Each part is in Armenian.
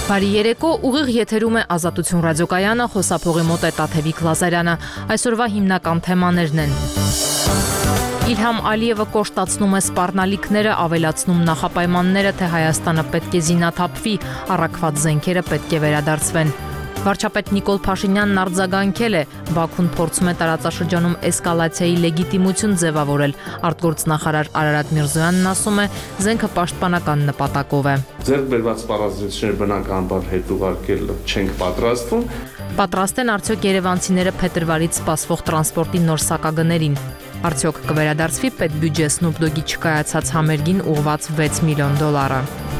Բարի երեկո, ուղիղ եթերում է Ազատություն ռադիոկայանը, խոսափողի մոտ է Տաթևիկ Լազարյանը։ Այսօրվա հիմնական թեմաներն են. Իլհամ Ալիևը կոշտացնում է սպառնալիքները, ավելացնում նախապայմանները, թե Հայաստանը պետք է զինաթափվի, առաքված զենքերը պետք է վերադարձվեն։ Վարչապետ Նիկոլ Փաշինյանն արձագանքել է, Բաքուն փորձում է տարածաշրջանում էսկալացիայի լեգիտիմություն ձևավորել։ Արտգործնախարար Արարատ Միրզոյանն ասում է, զենքը պաշտպանական նպատակով է։ Ձեռք բերված պարազդեցությունները բնականաբար հետ ուղարկել չենք պատրաստվում։ Պատրաստ են արդյոք երևանցիները փետրվարից սպասվող տրանսպորտի նոր սակագներին։ Արդյոք կվերադարձվի պետբյուջե Snoop Dogg-ի չկայացած համերգին ուղղված $6 միլիոն։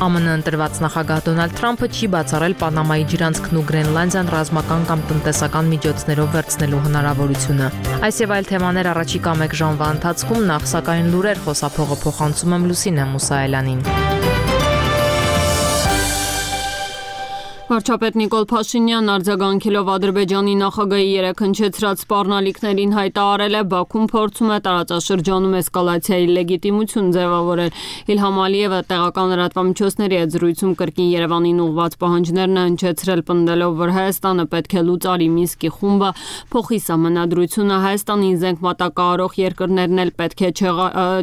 ԱՄՆ ընտրված նախագահ Դոնալդ Թրամփը չի բացառել Պանամայի ջրանցքն ու Գրենլանդիան ռազմական կամ տնտեսական միջոցներով վերցնելու հնարավորությունը։ Այս եւ այլ թեմաներ առաջիկա 1 ժամվա ընթացքում, նախ սակայն լուրեր, խոսափողը փոխանցում եմ Լուսինե Մուսայելյանին։ Վարչապետ Նիկոլ Փաշինյանն արձագանքելով Ադրբեջանի նախագահի երեքնչեցրած սպառնալիքներին հայտարարել է, Բաքուն փորձում է տարածաշրջանում էսկալացիայի լեգիտիմություն ձևավորել։ Իլհամ Ալիևը տեղական լրատվամիջոցների հետ զրույցում կրկին Երևանին ուղղված պահանջներն է հնչեցրել, պնդելով, որ Հայաստանը պետք է լուծարի Մինսկի խումբը, փոխի սահմանադրությունը, Հայաստանին զենք մատակարարող երկրներն էլ պետք է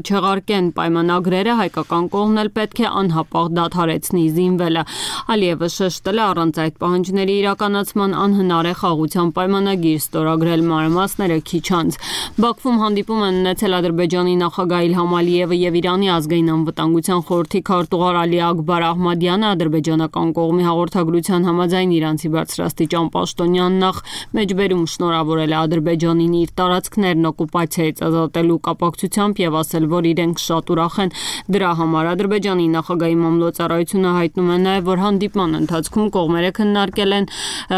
չեղարկեն պայմանագրերը, հայկական կողմն էլ պետք է անհապաղ դադարեցնի զինվելը։ Ալիևը շեշտել է, առանց այդ պահանջների իրականացման անհնար է խաղաղության պայմանագիր ստորագրել, մանրամասները քիչ անց։ Բաքվում հանդիպում են ունեցել Ադրբեջանի նախագահ Իլհամ Ալիևը եւ Իրանի ազգային անվտանգության խորհրդի քարտուղար Ալի Աքբար Ահմադյանը, ադրբեջանական կողմի հաղորդագրության համաձայն իրանցի բարձրաստիճան պաշտոնյան նախ մեջբերում շնորհավորել է Ադրբեջանին իր տարածքներն օկուպացիայից ազատելու կապակցությամբ եւ ասել, որ իրենք շատ ուրախ են դրա համար։ Ադրբեջանի նախագահի մամլոյցարայությունը հայտնում է նաեւ, որ հանդիպման ընթացքում կողմերը քննարկել են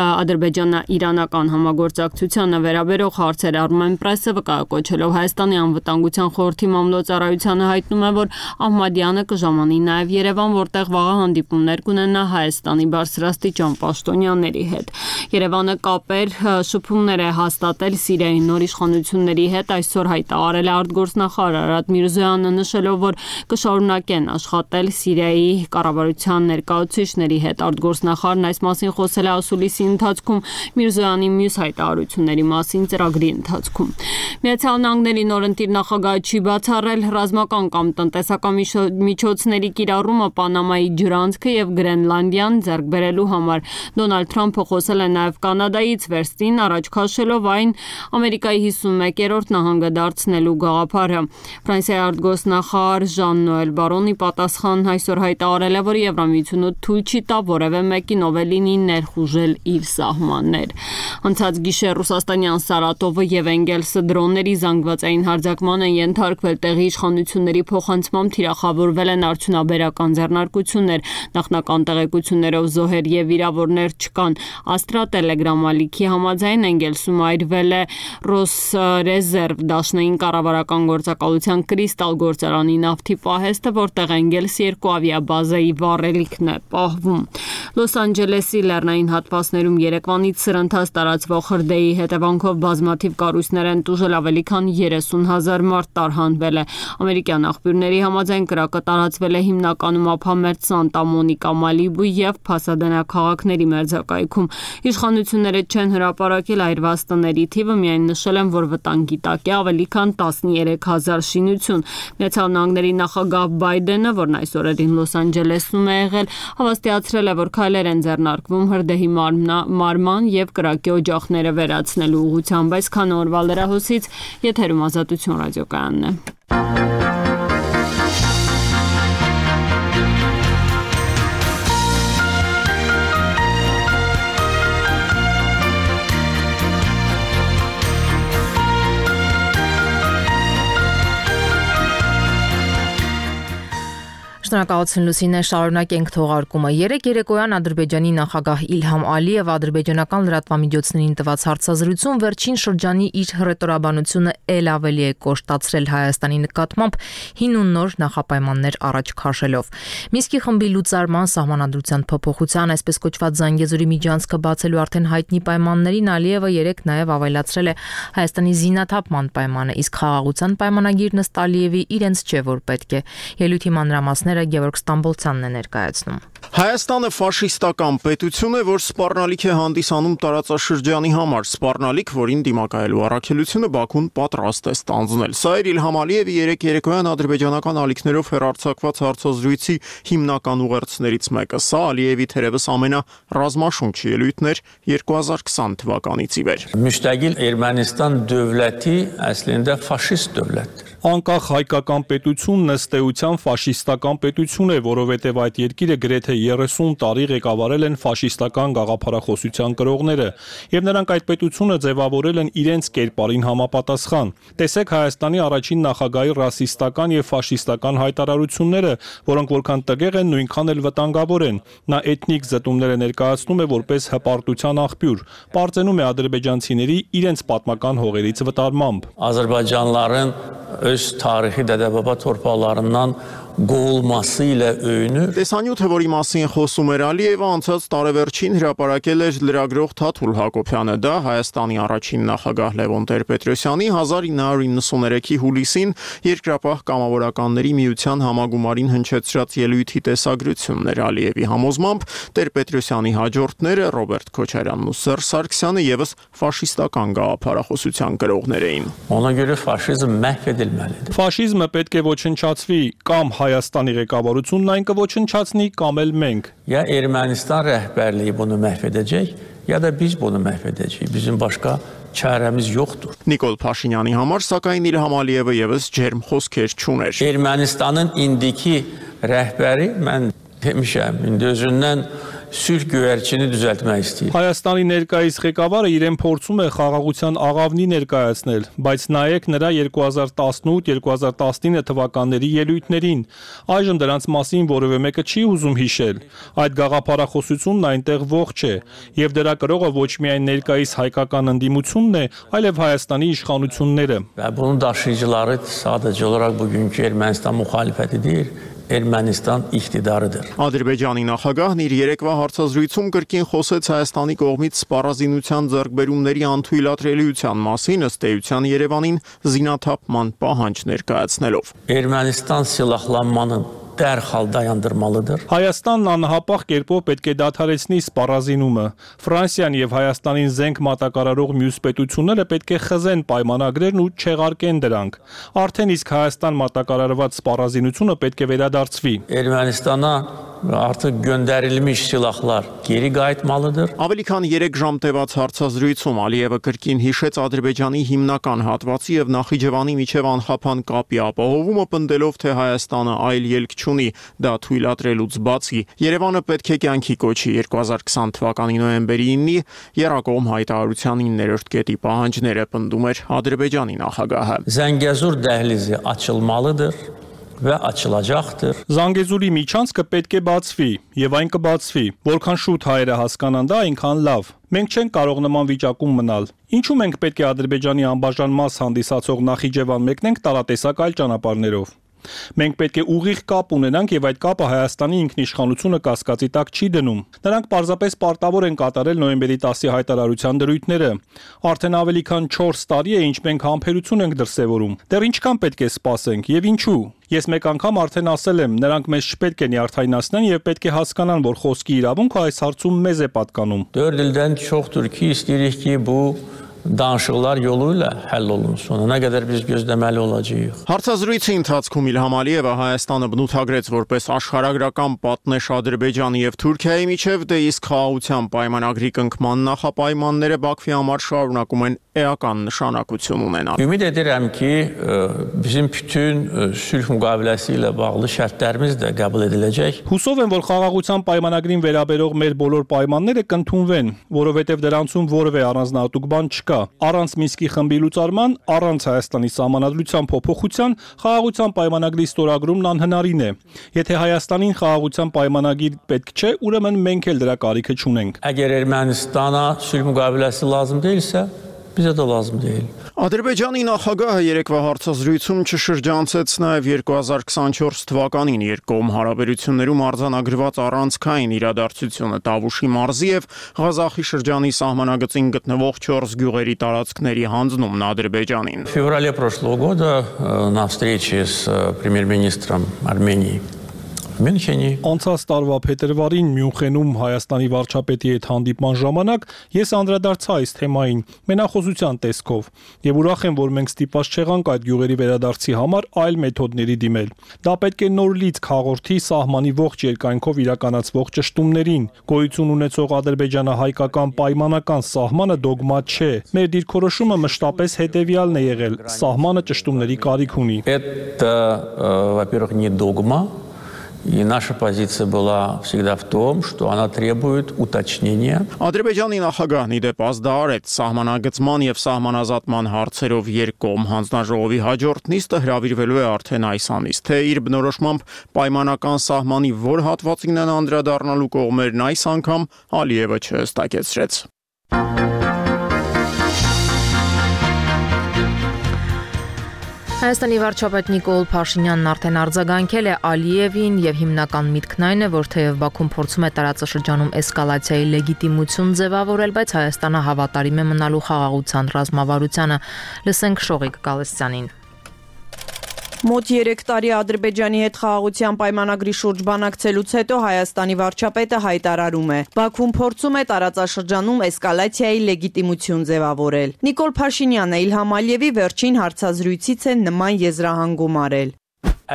ադրբեջանա-իրանական համագործակցությանը վերաբերող հարցեր։ Armen Press-ը վկայակոչելով Հայաստանի անվտանգության խորհրդի մամլոյցարայությանը հայտնում է, որ Ահմադյանը կժամանի նաև Երևան, որտեղ վաղը հանդիպումներ կունենա Հայաստանի բարձրաստիճան պաշտոնյաների հետ։ Երևանը կապեր շփումներ է հաստատել Սիրիայի նոր իշխանությունների հետ, այսօր հայտարարել է արտգործնախարար Արարատ Միրզոյանը, նշելով, որ կշարունակեն աշխատել Սիրիայի կառավարության ներկայացուցիչների հետ։ Արտգործնախարարն այս մասին խոսել է ասուլիսի ընթացքում Միրզոյանի մյուս հայտարարությունների մասին ծրագրի ընթացքում։ Միացյալ Նահանգների նորընտիր նախագահը չի բացառել ռազմական կամ տնտեսական միջոցների կիրառումը Պանամայի ջրանցքը եւ Գրենլանդիան ձեռք բերելու համար։ Դոնալդ Թրամփը խոսել է նաեւ Կանադայից վերստին առաջ քաշելով այն Ամերիկայի 51-րդ նահանգը դարձնելու գաղափարը։ Ֆրանսիայի արտգործնախարար Ժան-Նոել Բարոնի պատասխան այսօր հայտարարել է, որ Եվրամիությունը թույլ չի տա որևէ մեկին ով լինի ներխուժել իր սահմաններ։ Անցած գիշեր Ռուսաստանյան Սարատովը եւ Էնգելսը դրոնների զանգվածային հարձակման են ենթարկվել, տեղի իշխանությունների փոխանցմամբ թիրախավորվել են արդյունաբերական ձեռնարկություններ, նախնական տեղեկություններով զոհեր եւ վիրավորներ չկան։ Աստրա Տելեգրամ ալիքի համաձայն Էնգելսում այրվել է Ռոսրեզերվ դաշնային կառավարական գործակալության Կրիստալ գործարանի նավթի պահեստը, որտեղ Էնգելսի 2 ավիաբազայի վառելիքն է պահվում։ Լոս Անջելեսի լեռնային հատվածներում երեկվանից սրընթաց տարածվող հրդեհի հետևանքով բազմաթիվ կառույցներ են տուժել, ավելի քան 30,000 մարդ տարհանվել է։ Ամերիկյան աղբյուրների համաձայն կրակը տարածվել է հիմնականում ափամերձ Սանտա Մոնիկա, Մալիբու եւ Փասադենա քաղաքների մերձակայքում։ Իշխանությունները չեն հրապարակել այրված տների թիվը, միայն նշել են, որ վտանգի տակ է ավելի քան 13,000 շինություն։ Միացյալ Նահանգների նախագահ Բայդենը, որն այս օրերին Լոս Անջելեսում է եղել, հավաստիացրել է, որ քայլեր են ձեռնարկվում հրդեհի մարման եւ կրակի օջախները վերացնելու ուղղությամբ։ Այսքան օրվա լրահոսից եթերում Ազատություն ռադիոկայանն է։ Շնորհակալություն Լուսինե, շարունակենք թողարկումը։ Երեկ երեկոյան Ադրբեջանի նախագահ Իլհամ Ալիևը ադրբեջանական լրատվամիջոցներին տված հարցազրույցում վերջին շրջանի իր հռետորաբանությունը ել ավելի է կոշտացրել Հայաստանի նկատմամբ հին ու նոր նախապայմաններ առաջ քաշելով։ Մինսկի խմբի լուծարման սահմանադրության փոփոխության, այսպես կոչված Զանգեզուրի միջանցքը բացելու արդեն հայտնի պայմաններին Ալիևը երեկ նաև ավելացրել է Հայաստանի զինաթափման պայմանը, իսկ խաղաղության պայմանագիրն ըստ Ալիևի իրենց չէ, որ պետք է։ Ելույթի մանրամասները Գևորգ Ստամբոլցյանն է ներկայացնում։ Հայաստանը ֆաշիստական պետություն է, որ սպառնալիք է հանդիսանում տարածաշրջանի համար, սպառնալիք, որին դիմակայելու առաքելությունը Բաքուն պատրաստ է ստանձնել։ Սա էր Իլհամ Ալիևի երեկ երեկոյան ադրբեջանական ալիքներով հեռարձակված հարցազրույցի հիմնական ուղերձներից մեկը։ Սա Ալիևի թերևս ամենառազմաշունչ ելույթն էր 2020 թվականից ի վեր։ Müstakil Ermənistan dövləti əslində faşist dövlətdir. Անկախ հայկական պետությունն ըստ էության ֆաշիստական պետություն է, որովհետև այդ երկիրը գրեթե 30 տարի ղեկավարել են ֆաշիստական գաղափարախոսության կրողները, եւ նրանք այդ պետությունը ձևավորել են իրենց կերպարին համապատասխան։ Տեսեք Հայաստանի առաջին նախագահի ռասիստական եւ ֆաշիստական հայտարարությունները, որոնք որքան տգեղ են, նույնքան էլ վտանգավոր են։ Նա էթնիկ զտումները ներկայացնում է որպես հպարտության աղբյուր, պարծենում է ադրբեջանցիների իրենց պատմական հողերից վտարմամբ։ Azərbaycanlıların öz tarixi dədə-baba torpaqlarından qovulması ilə öyünür։ Տեսանյութը, որի մասին խոսում էր Ալիևը, անցած տարեվերջին հրապարակել էր լրագրող Թաթուլ Հակոբյանը։ Դա Հայաստանի առաջին նախագահ Լևոն Տեր-Պետրոսյանի 1993-ի հուլիսին Երկրապահ կամավորականների միության համագումարին հնչեցրած ելույթի տեսագրությունն էր։ Ալիևի համոզմամբ Տեր-Պետրոսյանի հաջորդները Ռոբերտ Քոչարյանն ու Սերժ Սարգսյանը եւս ֆաշիստական գաղափարախոսության կրողներ էին։ Ona görə faşizm məhv edilməlidir։ Ֆաշիզմը պետք է ոչնչացվի, կամ Հայաստանի ղեկավարությունն այն կոչնչացնի, կամ էլ մենք։ Ya Ermənistan rəhbərliyi bunu məhv edəcək, ya da biz bunu məhv edəcəyik. Bizim başqa çarəmiz yoxdur. Նիկոլ Փաշինյանի համար սակայն Իլհամ Ալիևը եւս ջերմ խոսքեր չուներ։ Ermənistanın indiki rəhbəri mən demişəm, indi özündən sülh göyərçini düzəltmək istəyir։ Հայաստանի ներկայիս ղեկավարը իրեն փորձում է խաղաղության աղավնի ներկայացնել, բայց նայեք նրա 2018-2019 թվականների ելույթներին։ Այժմ դրանց մասին որևէ մեկը չի ուզում հիշել։ Այդ գաղափարախոսությունն այնտեղ ողջ է, եւ դրա կրողը ոչ միայն ներկայիս հայկական ընդդիմությունն է, այլև Հայաստանի իշխանությունները։ Və bunun daşıyıcıları sadəcə olaraq bugünkü Ermənistan müxalifəti deyil, Ermənistan iqtidarıdır։ Ադրբեջանի նախագահն իր երեկվա հարցազրույցում կրկին խոսեց Հայաստանի կողմից սպառազինության ձեռքբերումների անթույլատրելիության մասին, ըստ էության Երևանին զինաթափման պահանջ ներկայացնելով։ Ermənistan silahlanmanın dərhal dayandırmalıdır։ Հայաստանն անհապաղ կերպով պետք է դադարեցնի սպառազինումը։ Ֆրանսիան եւ Հայաստանին զենք մատակարարող մյուս պետությունները պետք է խզեն պայմանագրերն ու չեղարկեն դրանք։ Արդեն իսկ Հայաստան մատակարարված սպառազինությունը պետք է վերադարձվի։ Ermənistana artıq göndərilmiş silahlar geri qayıtmalıdır։ Ավելի քան 3 ժամ տևած հարցազրույցում Ալիևը կրկին հիշեց Ադրբեջանի հիմնական հատվածի եւ Նախիջևանի միջև անխափան կապի ապահովումը, պնդելով, թե Հայաստանը այլ ելք չունի դա թույլատրելուց բացի։ Երևանը պետք է կյանքի կոչի 2020 թվականի նոյեմբերի 9-ի Երակոմ հայտարարության 9-րդ կետի պահանջները, պնդում էր Ադրբեջանի նախագահը։ Zəngəzur dəhlizi açılmalıdır və açılacaqdır։ Զանգեզուրի միջանցքը պետք է բացվի եւ այն կբացվի։ Որքան շուտ հայերը հասկանան դա, այնքան լավ։ Մենք չենք կարող նման վիճակում մնալ։ Ինչու մենք պետք է Ադրբեջանի անբաժան մաս հանդիսացող Նախիջևան մեկնենք տարատեսակ այլ ճանապարհներով։ Մենք պետք է ուղիղ կապ ունենանք եւ այդ կապը Հայաստանի ինքնիշխանությունը կասկածի տակ չի դնում։ Նրանք պարզապես պարտավոր են կատարել նոյեմբերի 10-ի հայտարարության դրույթները։ Արդեն ավելի քան 4 տարի է, ինչ մենք համբերություն ենք դրսևորում։ Դեռ ինչքան պետք է սպասենք եւ ինչու։ Ես մեկ անգամ արդեն ասել եմ, նրանք մեզ չպետք է նյարդայնացնեն եւ պետք է հասկանան, որ խոսքի իրավունքը այս հարցում մեզ է պատկանում։ 4 ildən çoxdur ki, istəyirik ki, bu danışıqlar yolu ilə həll olunsun։ Nə qədər biz gözləməli olacağıq։ Հարցազրույցի ընթացքում Իլհամ Ալիևը Հայաստանը բնութագրեց որպես աշխարհագրական պատնեշ Ադրբեջանի եւ Թուրքիայի միջև, դե իսկ խաղաղության պայմանագրի կնքման նախապայմանները Բաքվի համար շարունակում են էական նշանակություն ունենալ։ Ümid edirəm ki, bizim bütün sülh müqaviləsi ilə bağlı şərtlərimiz də qəbul ediləcək։ Հուսով եմ, որ խաղաղության պայմանագրին վերաբերող մեր բոլոր պայմանները կընդունվեն, որովհետև դրանցում որևէ առանձնահատուկ բան չկա։ Առանց Մինսկի խմբի լուծարման, առանց Հայաստանի սահմանադրության փոփոխության, խաղաղության պայմանագրի ստորագրումն անհնարին է։ Եթե Հայաստանին խաղաղության պայմանագիր պետք չէ, ուրեմն մենք էլ դրա կարիքը չունենք։ Əgər Ermənistana sülh müqaviləsi lazım deyilsə, bizə də lazım deyil։ Ադրբեջանի նախագահը երեկվա հարցազրույցում չշրջանցեց նաև 2024 թվականին երկկողմ հարաբերություններում արձանագրված առանցքային իրադարձությունը Տավուշի մարզի եւ Ղազախի շրջանի սահմանագծին գտնվող 4 գյուղերի տարածքների հանձնումն Ադրբեջանին։ В феврале прошлого года на встрече с премьер-министром Армении Մյունխենի։ Անցած տարվա փետրվարին Մյունխենում Հայաստանի վարչապետի հետ հանդիպման ժամանակ ես անդրադարձա այս թեմային մենախոսության տեսքով եւ ուրախ եմ, որ մենք ստիպված չեղանք այդ գյուղերի վերադարձի համար այլ մեթոդների դիմել։ Դա պետք է նոր լիցք հաղորդի սահմանի ողջ երկայնքով իրականացվող ճշտումներին։ Գոյություն ունեցող ադրբեջանա-հայկական պայմանական սահմանը դոգմա չէ։ Մեր դիրքորոշումը մշտապես հետեւյալն է եղել. սահմանը ճշտումների կարիք ունի։ Это, во-первых, не догма. И наша позиция была всегда в том, что она требует уточнения. Ադրբեջանի նախագահն իդեպ ազդարարեց սահմանագծման եւ սահմանազատման հարցերով երկկողմ հանձնաժողովի հաջորդ նիստը հրավիրվելու է արդեն այս ամիս։ Թե իր բնորոշմամբ պայմանական սահմանի որ հատվածին են անդրադառնալու կողմերն այս անգամ Ալիևը չհստակեցրեց։ Հայաստանի վարչապետ Նիկոլ Փաշինյանն արդեն արձագանքել է Ալիևին եւ հիմնական միտքն այն է, որ թեև Բաքուն փորձում է տարածաշրջանում էսկալացիայի լեգիտիմություն ձևավորել, բայց Հայաստանը հավատարիմ է մնալու խաղաղության ռազմավարությանը։ Լսենք Շողիկ Գալստյանին։ Մոտ 3 տարի Ադրբեջանի հետ խաղաղության պայմանագրի շուրջ բանակցելուց հետո Հայաստանի վարչապետը հայտարարում է. Բաքուն փորձում է տարածաշրջանում էսկալացիայի լեգիտիմություն ձևավորել։ Նիկոլ Փաշինյանը Իլհամ Ալիևի վերջին հարցազրույցից է նման եզրահանգում արել։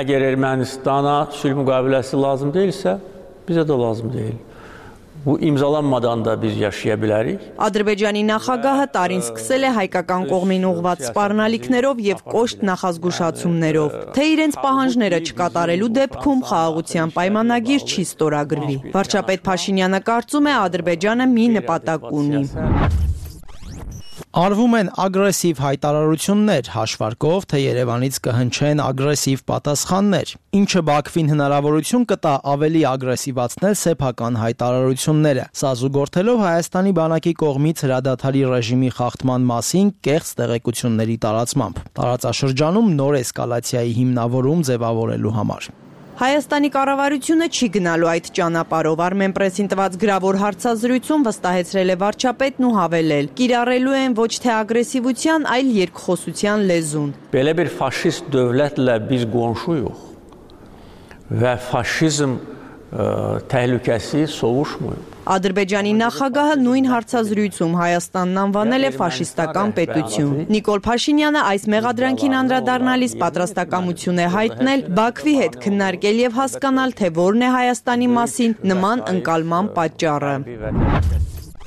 Eğer Ermənistana sülh müqaviləsi lazım deyilsə, bizə də lazım deyil. Bu imzalanmadan da biz yaşaya bilərik. Ադրբեջանի նախագահը տարին սկսել է հայկական կողմին ուղղված սպառնալիքներով եւ կոշտ նախազգուշացումներով, թե իրենց պահանջները չկատարելու դեպքում խաղաղության պայմանագիր չի ստորագրվի։ Վարչապետ Փաշինյանը կարծում է Ադրբեջանը մի նպատակ ունի։ Արվում են ագրեսիվ հայտարարություններ, հաշվարկով, թե Երևանից կհնչեն ագրեսիվ պատասխաններ, ինչը Բաքվին հնարավորություն կտա ավելի ագրեսիվացնել սեփական հայտարարությունները, սա զուգորդելով Հայաստանի բանակի կողմից հրադադարի ռեժիմի խախտման մասին կեղծ տեղեկությունների տարածմամբ, տարածաշրջանում նոր էսկալացիայի հիմնավորում ձևավորելու համար։ Հայաստանի կառավարությունը չի գնալու այդ ճանապարհով, Armenpress-ին տված գրավոր հարցազրույցում վստահեցրել է վարչապետն ու հավելել. կիրառելու են ոչ թե ագրեսիվության, այլ երկխոսության լեզուն։ Belə bir faşist dövlətlə biz qonşuyuq və faşizm təhlükəsi sovuşmuyub. Ադրբեջանի նախագահը նույն հարցազրույցում Հայաստանն անվանել է ֆաշիստական պետություն։ Նիկոլ Փաշինյանը այս մեղադրանքին անդրադառնալիս պատրաստակամություն է հայտնել Բաքվի հետ քննարկել եւ հասկանալ, թե որն է Հայաստանի մասին նման ընկալման պատճառը։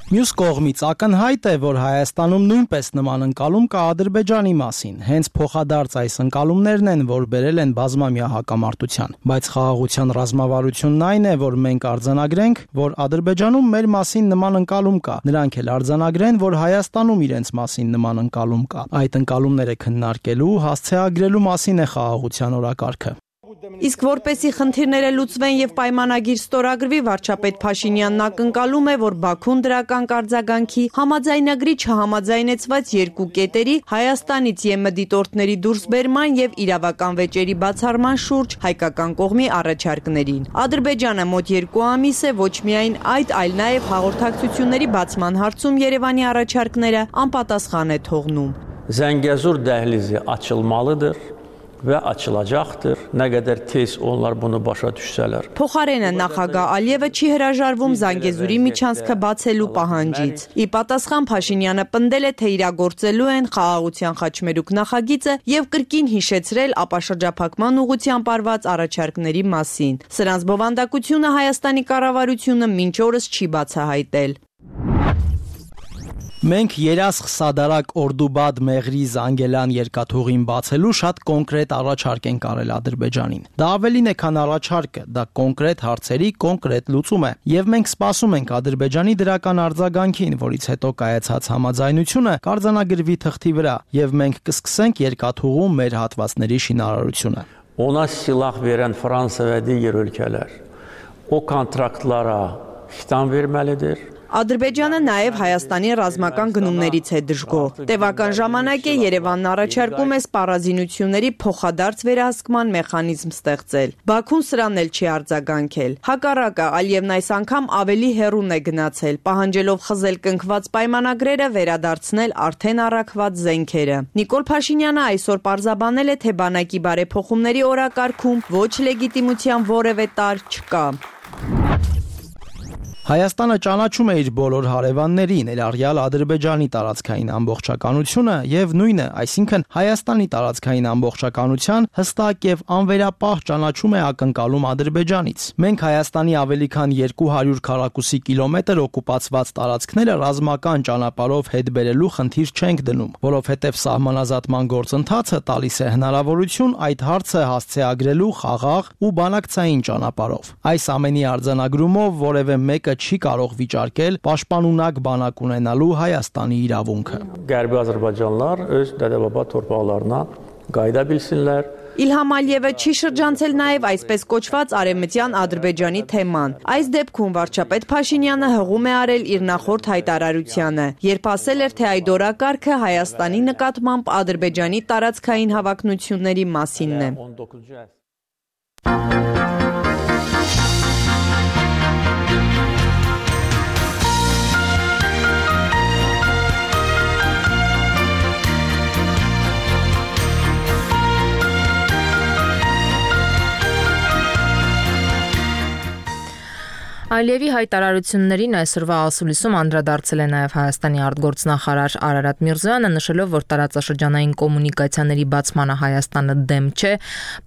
Մյուս կողմից ակնհայտ է, որ Հայաստանում նույնպես նման ընկալում կա Ադրբեջանի մասին, հենց փոխադարձ այս ընկալումներն են, որ բերել են բազմամյա հակամարտության, բայց խաղաղության ռազմավարությունն այն է, որ մենք արձանագրենք, որ Ադրբեջանում մեր մասին նման ընկալում կա, նրանք էլ արձանագրեն, որ Հայաստանում իրենց մասին նման ընկալում կա։ Այդ ընկալումները քննարկելու, հասցեագրելու մասին է խաղաղության օրակարգը։ Իսկ որպեսի խնդիրները լուծվեն եւ պայմանագիր ստորագրվի, վարչապետ Փաշինյանն ակնկալում է, որ Բաքուն դրական կարձագանքի համաձայնագրի չհամաձայնեցված երկու կետերի Հայաստանից ԵՄ դիտորդների դուրսբերման եւ իրավական վեճերի բացառման շուրջ հայկական կողմի առաջարկներին։ Ադրբեջանը մոտ 2 ամիս է ոչ միայն այդ, այլ նաեւ հաղորդակցությունների բացման հարցում Երևանի առաջարկները անպատասխան է թողնում։ Zəngəzur dəhlizi açılmalıdır. Və açılacaqdır. Nə qədər tez onlar bunu başa düşsələr. Փոխարենը նախագահ Ալիևը չի հրաժարվում Զանգեզուրի միջանցքը բացելու պահանջից։ Ի պատասխան Փաշինյանը պնդել է, թե իրագործելու են խաղաղության խաչմերուկ նախագիծը եւ կրկին հիշեցրել ապաշրջափակման ուղղությամբ արված առաջարկների մասին։ Սրանց բովանդակությունը Հայաստանի կառավարությունը մինչ օրս չի բացահայտել։ Մենք երասխ Սադարակ Օրդուբադ Մեղրի Զանգելան երկաթուղին բացելու շատ կոնկրետ առաջարկ ենք արել Ադրբեջանին։ Դա ավելին է, քան առաջարկը, դա կոնկրետ հարցերի կոնկրետ լուծում է, եւ մենք սպասում ենք Ադրբեջանի դրական արձագանքին, որից հետո կայացած համաձայնությունը կարձանագրվի թղթի վրա, եւ մենք կսկսենք երկաթուղու մեր հատվածների շինարարությունը։ Ona silah verən Fransa və digər ölkələr o kontraktlara xitam verməlidir. Ադրբեջանը նաև Հայաստանի ռազմական գնումներից է դժգոհ։ Տևական ժամանակ է Երևանն առաջարկում է սպառազինությունների փոխադարձ վերահսկման մեխանիզմ ստեղծել։ Բաքուն սրան էլ չի արձագանքել։ Հակառակը, Ալիևն այս անգամ ավելի հեռուն է գնացել, պահանջելով խզել կնքված պայմանագրերը, վերադարձնել արդեն առաքված զենքերը։ Նիկոլ Փաշինյանը այսօր պարզաբանել է, թե բանակի բարեփոխումների օրակարգում ոչ լեգիտիմության որևէ տարր չկա։ Հայաստանը ճանաչում է իր բոլոր հարևաններին, ներառյալ Ադրբեջանի տարածքային ամբողջականությունը եւ նույնը, այսինքն Հայաստանի տարածքային ամբողջականության հստակ եւ անվերապահ ճանաչում է ակնկալում Ադրբեջանից։ Մենք Հայաստանի ավելի քան 200 քառակուսի կիլոմետր օկուպացված տարածքները ռազմական ճանապարհով հետ բերելու խնդիր չենք դնում, որովհետեւ սահմանազատման գործընթացը տալիս է հնարավորություն այդ հարցը հասցեագրելու խաղաղ ու բանակցային ճանապարհով։ Այս ամենի արձանագրումով որևէ մեկը չի կարող վիճարկել պաշտպանունակ բանակ ունենալու Հայաստանի իրավունքը։ Qərbi Azərbaycanlılar öz dədə-baba torpaqlarına qayıda bilsinlər. Իլհամ Ալիևը չի շրջանցել նաև այսպես կոչված արևմտյան Ադրբեջանի թեման։ Այս դեպքում վարչապետ Փաշինյանը հղում է արել իր նախորդ հայտարարությանը, երբ ասել էր, թե այդ օրակարգը Հայաստանի նկատմամբ Ադրբեջանի տարածքային հավակնությունների մասինն է։ Ալիևի հայտարարություններին այսօրվա ասուլիսում անդրադարձել է նաև Հայաստանի արտգործնախարար Արարատ Միրզոյանը, նշելով, որ տարածաշրջանային կոմունիկացիաների բացմանը Հայաստանը դեմ չէ,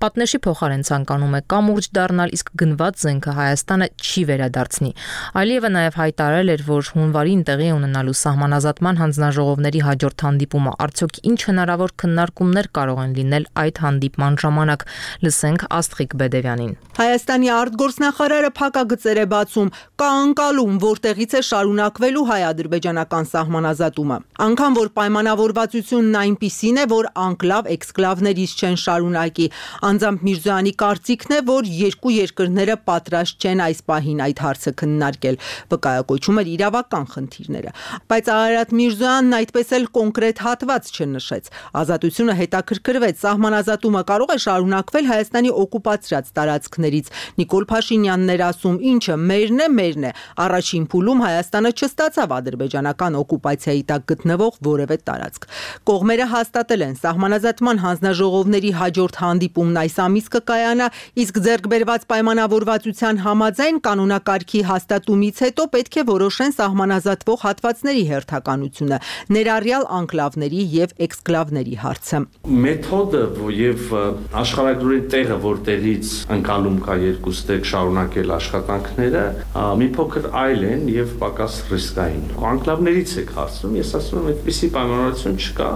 պատնեշի փոխարեն ցանկանում է կամուրջ դառնալ, իսկ գնված զենքը Հայաստանը չի վերադարձնի։ Ալիևը նաև հայտարարել էր, որ հունվարին տեղի ունենալու սահմանազատման հանձնաժողովների հաջորդ հանդիպումը արդյոք ինչ հնարավոր քննարկումներ կարող են լինել այդ հանդիպման ժամանակ։ Լսենք Աստղիկ Բեդևյանին։ Հայաստանի արտգործնախարարը փակագծեր է կա անկալում, որտեղից է շարունակվելու հայ-ադրբեջանական սահմանազատումը։ Անգամ որ պայմանավորվածությունն այնպիսին է, որ անկլավ էքսկլավներից չեն շարունակի, անձամբ Միրզոյանի կարծիքն է, որ երկու երկրները պատրաստ չեն այս պահին այդ հարցը քննարկել, վկայակոչում էր իրավական խնդիրները։ Բայց Արարատ Միրզոյանն այդպես էլ կոնկրետ հատված չնշեց։ Ազատությունը հետաքրքրվեց, սահմանազատումը կարող է շարունակվել Հայաստանի օկուպացրած տարածքներից։ Նիկոլ Փաշինյանն էր ասում, ինչը մերն է, առաջին փուլում Հայաստանը չստացավ ադրբեջանական օկուպացիայի տակ գտնվող որևէ տարածք։ Կողմերը հաստատել են սահմանազատման հանձնաժողովների հաջորդ հանդիպումն այս ամիս կկայանա, իսկ ձեռքբերված պայմանավորվածության համաձայն կանոնակարգի հաստատումից հետո պետք է որոշեն սահմանազատվող հատվածների հերթականությունը, ներառյալ անկլավների եւ էքսկլավների հարցը։ Մեթոդը եւ աշխարհագրի տեղը, որտեղից ընկալում կա երկուստեք շարունակել աշխատանքները, մի փոքր այլ են եւ պակաս ռիսկային։ Անկլավներից եք հարցնում, ես ասում եմ, այդպիսի պայմանավորություն չկա,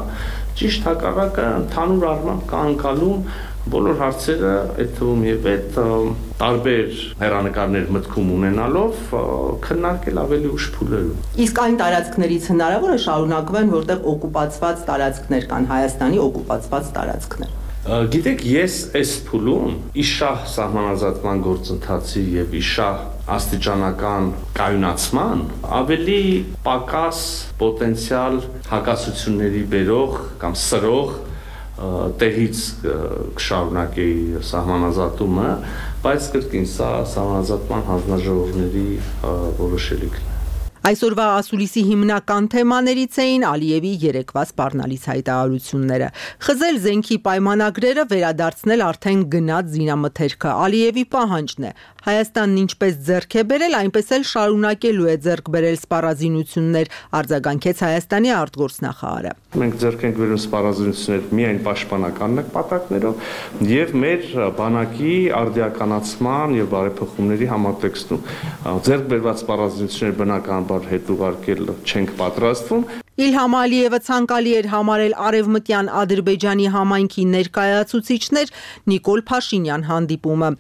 ճիշտ հակառակը ընդհանուր առմամբ կա ընկալում բոլոր հարցերը, այդ թվում եւ այդ տարբեր հերանեկարներ մտքում ունենալով քննարկել ավելի ուշ փուլերում։ Իսկ այն տարածքներից հնարավոր է շարունակվեն, որտեղ օկուպացված տարածքներ կան, Հայաստանի օկուպացված տարածքներ։ Գիտեք, ես այս փուլում իշահ սահմանազատման գործընթացի եւ իշահ աստիճանական կայունացման ավելի պակաս պոտենցիալ հակասությունների բերող կամ սրող տեղից կշարունակեի սահմանազատումը, բայց կրկին սա սահմանազատման հանձնաժողովների որոշելիքն է։ Այսօրվա ասուլիսի հիմնական թեմաներից էին Ալիևի երեկվա սպառնալից հայտարարությունները։ Խզել զենքի պայմանագրերը, վերադարձնել արդեն գնած զինամթերքը Ալիևի պահանջն է։ Հայաստանն ինչպես ձեռք է բերել, այնպես էլ շարունակելու է ձեռք բերել սպառազինություններ, արձագանքեց Հայաստանի արտգործնախարարը։ Մենք ձեռք ենք բերում սպառազինություններ միայն պաշտպանական նպատակներով եւ մեր բանակի արդիականացման եւ բարեփոխումների համատեքստում։ Ձեռք բերված սպառազինությունները բնականաբար հետ ուղարկել չենք պատրաստվում։ Իլհամ Ալիևը ցանկալի էր համարել արևմտյան Ադրբեջանի համայնքի ներկայացուցիչներ Նիկոլ Փաշինյան հանդիպումը։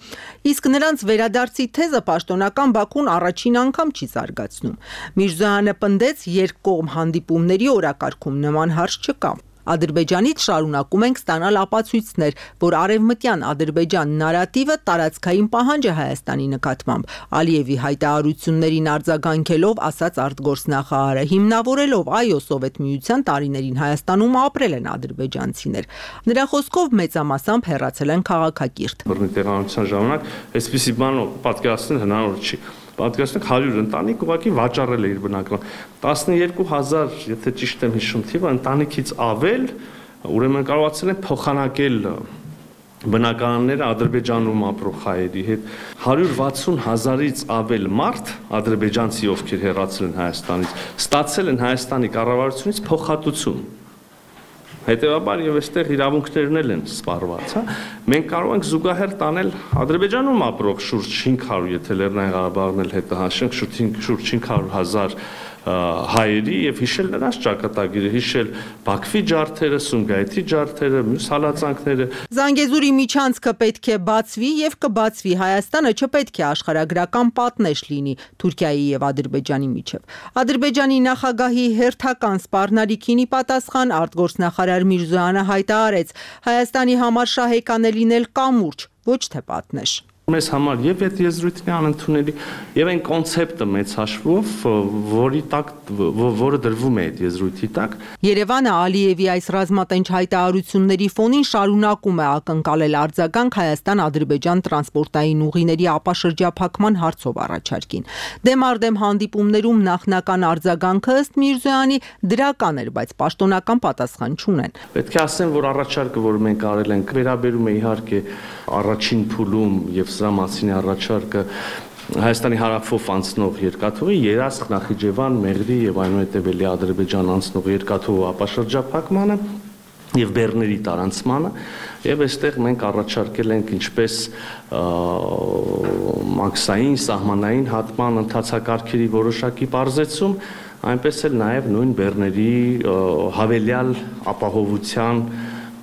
Իսկ նրանց վերադարձի թեզը պաշտոնական Բաքուն առաջին անգամ չի զարգացնում։ Միրզոյանը պնդեց, երկկողմ հանդիպումների օրակարգում նման հարց չկա։ Ադրբեջանից շարունակում ենք ստանալ ապացույցներ, որ արևմտյան Ադրբեջան նարատիվը տարածքային պահանջ է Հայաստանի նկատմամբ։ Ալիևի հայտարարություններին արձագանքելով ասաց արտգործնախարարը, հիմնավորելով այո Սովետ միության տարիներին Հայաստանում ապրել են ադրբեջանցիներ։ Նրա խոսքով մեծամասամբ հեռացել են քաղաքակիրթ։ Տեղանության ժամանակ այսպիսի բան պատկերացնել հնարավոր չի։ Պատկերացնենք 100 ընտանիք ուղղակի վաճառել է իր բնակարան 12000, եթե ճիշտ եմ հիշում թիվը, ընտանիքից ավել, ուրեմն կարողացել են փոխանակել բնակարանները Ադրբեջանում ապրող հայերի հետ 160,000-ից ավել մարդ ադրբեջանցի, ովքեր հեռացել են Հայաստանից, ստացել են Հայաստանի կառավարությունից փոխհատուցում։ Հետևաբար եւ այստեղ իրավունքներն են սպառված, հա։ Մենք կարող ենք զուգահեռ տանել Ադրբեջանում ապրող շուրջ 500, եթե Լեռնային Ղարաբաղն էլ հետը հաշվենք, շուրջ 500,000 հայերի եւ հիշել նրանց ճակատագիրը, հիշել Բաքվի ջարդերը, Սումգայիթի ջարդերը, մյուս հալածանքները։ Զանգեզուրի միջանցքը պետք է բացվի եւ կբացվի։ Հայաստանը չպետք է աշխարհագրական պատնեշ լինի Թուրքիայի եւ Ադրբեջանի միջեւ։ Ադրբեջանի նախագահի հերթական սպառնալիքին ի պատասխան արտգործնախարար Միրզոյանը հայտարարեց. Հայաստանի համար շահեկան է լինել կամուրջ, ոչ թե պատնեշ։ Մեզ համար եւ այդ եզրույթն է անընդունելի եւ այն կոնցեպտը մեծ հաշվով, որը դրվում է այդ եզրույթի տակ։ Երևանը Ալիևի այս ռազմատենչ հայտարարությունների ֆոնին շարունակում է ակնկալել արձագանք Հայաստան-Ադրբեջան տրանսպորտային ուղիների ապաշրջափակման հարցով առաջարկին։ Դեմարդեմ հանդիպումներում նախնական արձագանքը ըստ Միրզոյանի դրական էր, բայց պաշտոնական պատասխան չունեն։ Պետք է ասեմ, որ առաջարկը, որ մենք արել ենք, վերաբերում է իհարկե առաջին փուլում եւ սրա մասին առաջարկը Հայաստանի հարավով անցնող երկաթուղի Երասխ, Նախիջևան, Մեղրի եւ այնուհետեւելի Ադրբեջան անցնող երկաթուղու ապաշրջափակմանը եւ բեռների տարանցմանը եւ այստեղ մենք առաջարկել ենք ինչպես մաքսային սահմանային հատման ընթացակարգերի որոշակի բարձեցում, այնպես էլ նաեւ նույն բեռների հավելյալ ապահովության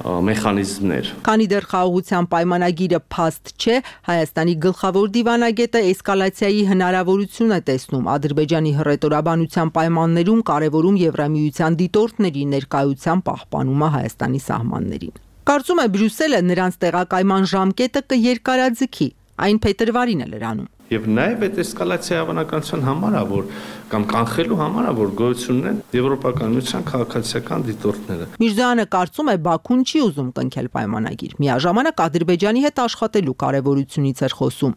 մեխանիզմներ։ Քանի դեռ խաղաղության պայմանագիրը փաստ չէ, Հայաստանի գլխավոր դիվանագետը էսկալացիայի հնարավորություն է տեսնում Ադրբեջանի հռետորաբանության պայմաններում կարևորում Եվրամիության դիտորդների ներկայության պահպանումը Հայաստանի սահմաններին։ Կարծում է Բրյուսելը նրանց տեղակայման ժամկետը կերկարաձգի, այն փետրվարին է լրանում։ Եվ նաև այդ էսկալացիայի հավանականության համար է, որ կամ կանխելու համար է, որ գոյություն ունեն Եվրոպական միության քաղաքացիական դիտորդները։ Միրզոյանը կարծում է Բաքուն չի ուզում կնքել պայմանագիր։ Միաժամանակ Ադրբեջանի հետ աշխատելու կարևորությունից էր խոսում։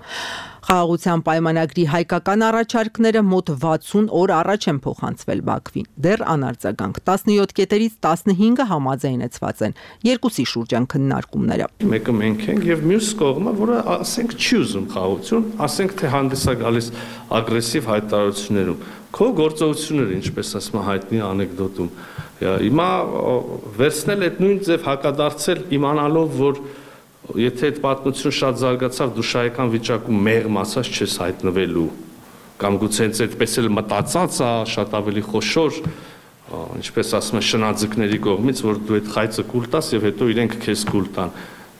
Խաղաղության պայմանագրի հայկական առաջարկները մոտ 60 օր առաջ են փոխանցվել Բաքվին։ Դեռ անարձագանք 17 կետերից 15-ը համաձայնեցված են։ Երկուսի շուրջ են քննարկումները։ Մեկը մենք ենք եւ մյուս կողմը, որը ասենք չի ուզում խաղաղություն, ասենք թե հանդես է գալիս ագրեսիվ հայտարարություններում։ Քո գործողությունները, ինչպես ասում հայտնի անեկդոտում։ Հիմա վերցնել այդ նույն ձև հակադարձել իմանալով, որ եթե այդ պատմությունը շատ զարգացավ, դու շահեկան վիճակում մեղմ ասած չես հայտնվելու, կամ գուցե հենց այդպես էլ մտածած է, շատ ավելի խոշոր, ինչպես ասում են շնաձկների կողմից, որ դու այդ խայծը կուլ տաս եւ հետո իրենք քեզ կուլ տան։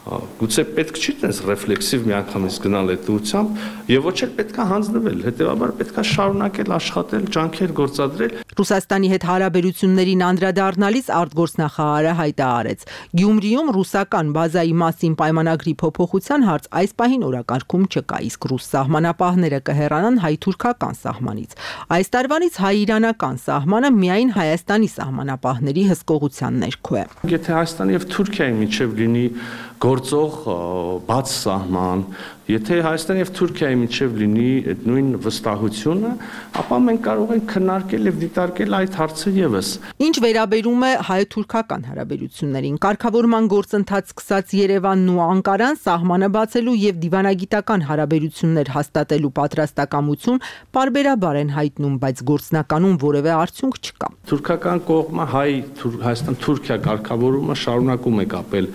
Գուցե պետք չի տես ռեֆլեքսիվ միանգամից գնալ այդ ուղությամբ եւ ոչ էլ պետքա հանձնվել, հետեւաբար պետքա շարունակել աշխատել, ջանքեր գործադրել։ Ռուսաստանի հետ հարաբերություններին անդրադառնալիս արտգործնախարարը հայտարարեց. Գյումրիում ռուսական բազայի մասին պայմանագրի փոփոխության հարց այս պահին օրակարգում չկա, իսկ ռուս սահմանապահները կհեռանան հայ-թուրքական սահմանից։ Այս տարվանից հայ-իրանական սահմանը միայն Հայաստանի սահմանապահների հսկողության ներքո է։ Եթե Հայաստանի եւ Թուրքիայի միջև լինի գործող բաց սահման, եթե Հայաստանի եւ Թուրքիայի միջև լինի այդ նույն վստահությունը, ապա մենք կարող ենք քննարկել եւ դիտարկել այդ հարցը եւս։ Ինչ վերաբերում է հայ-թուրքական հարաբերություններին, կարգավորման գործընթաց սկսած Երևանն ու Անկարան սահմանը բացելու եւ դիվանագիտական հարաբերություններ հաստատելու պատրաստակամություն պարբերաբար են հայտնում, բայց գործնականում որևէ արդյունք չկա։ Թուրքական կողմը Հայաստան-Թուրքիա կարգավորումը շարունակում է կապել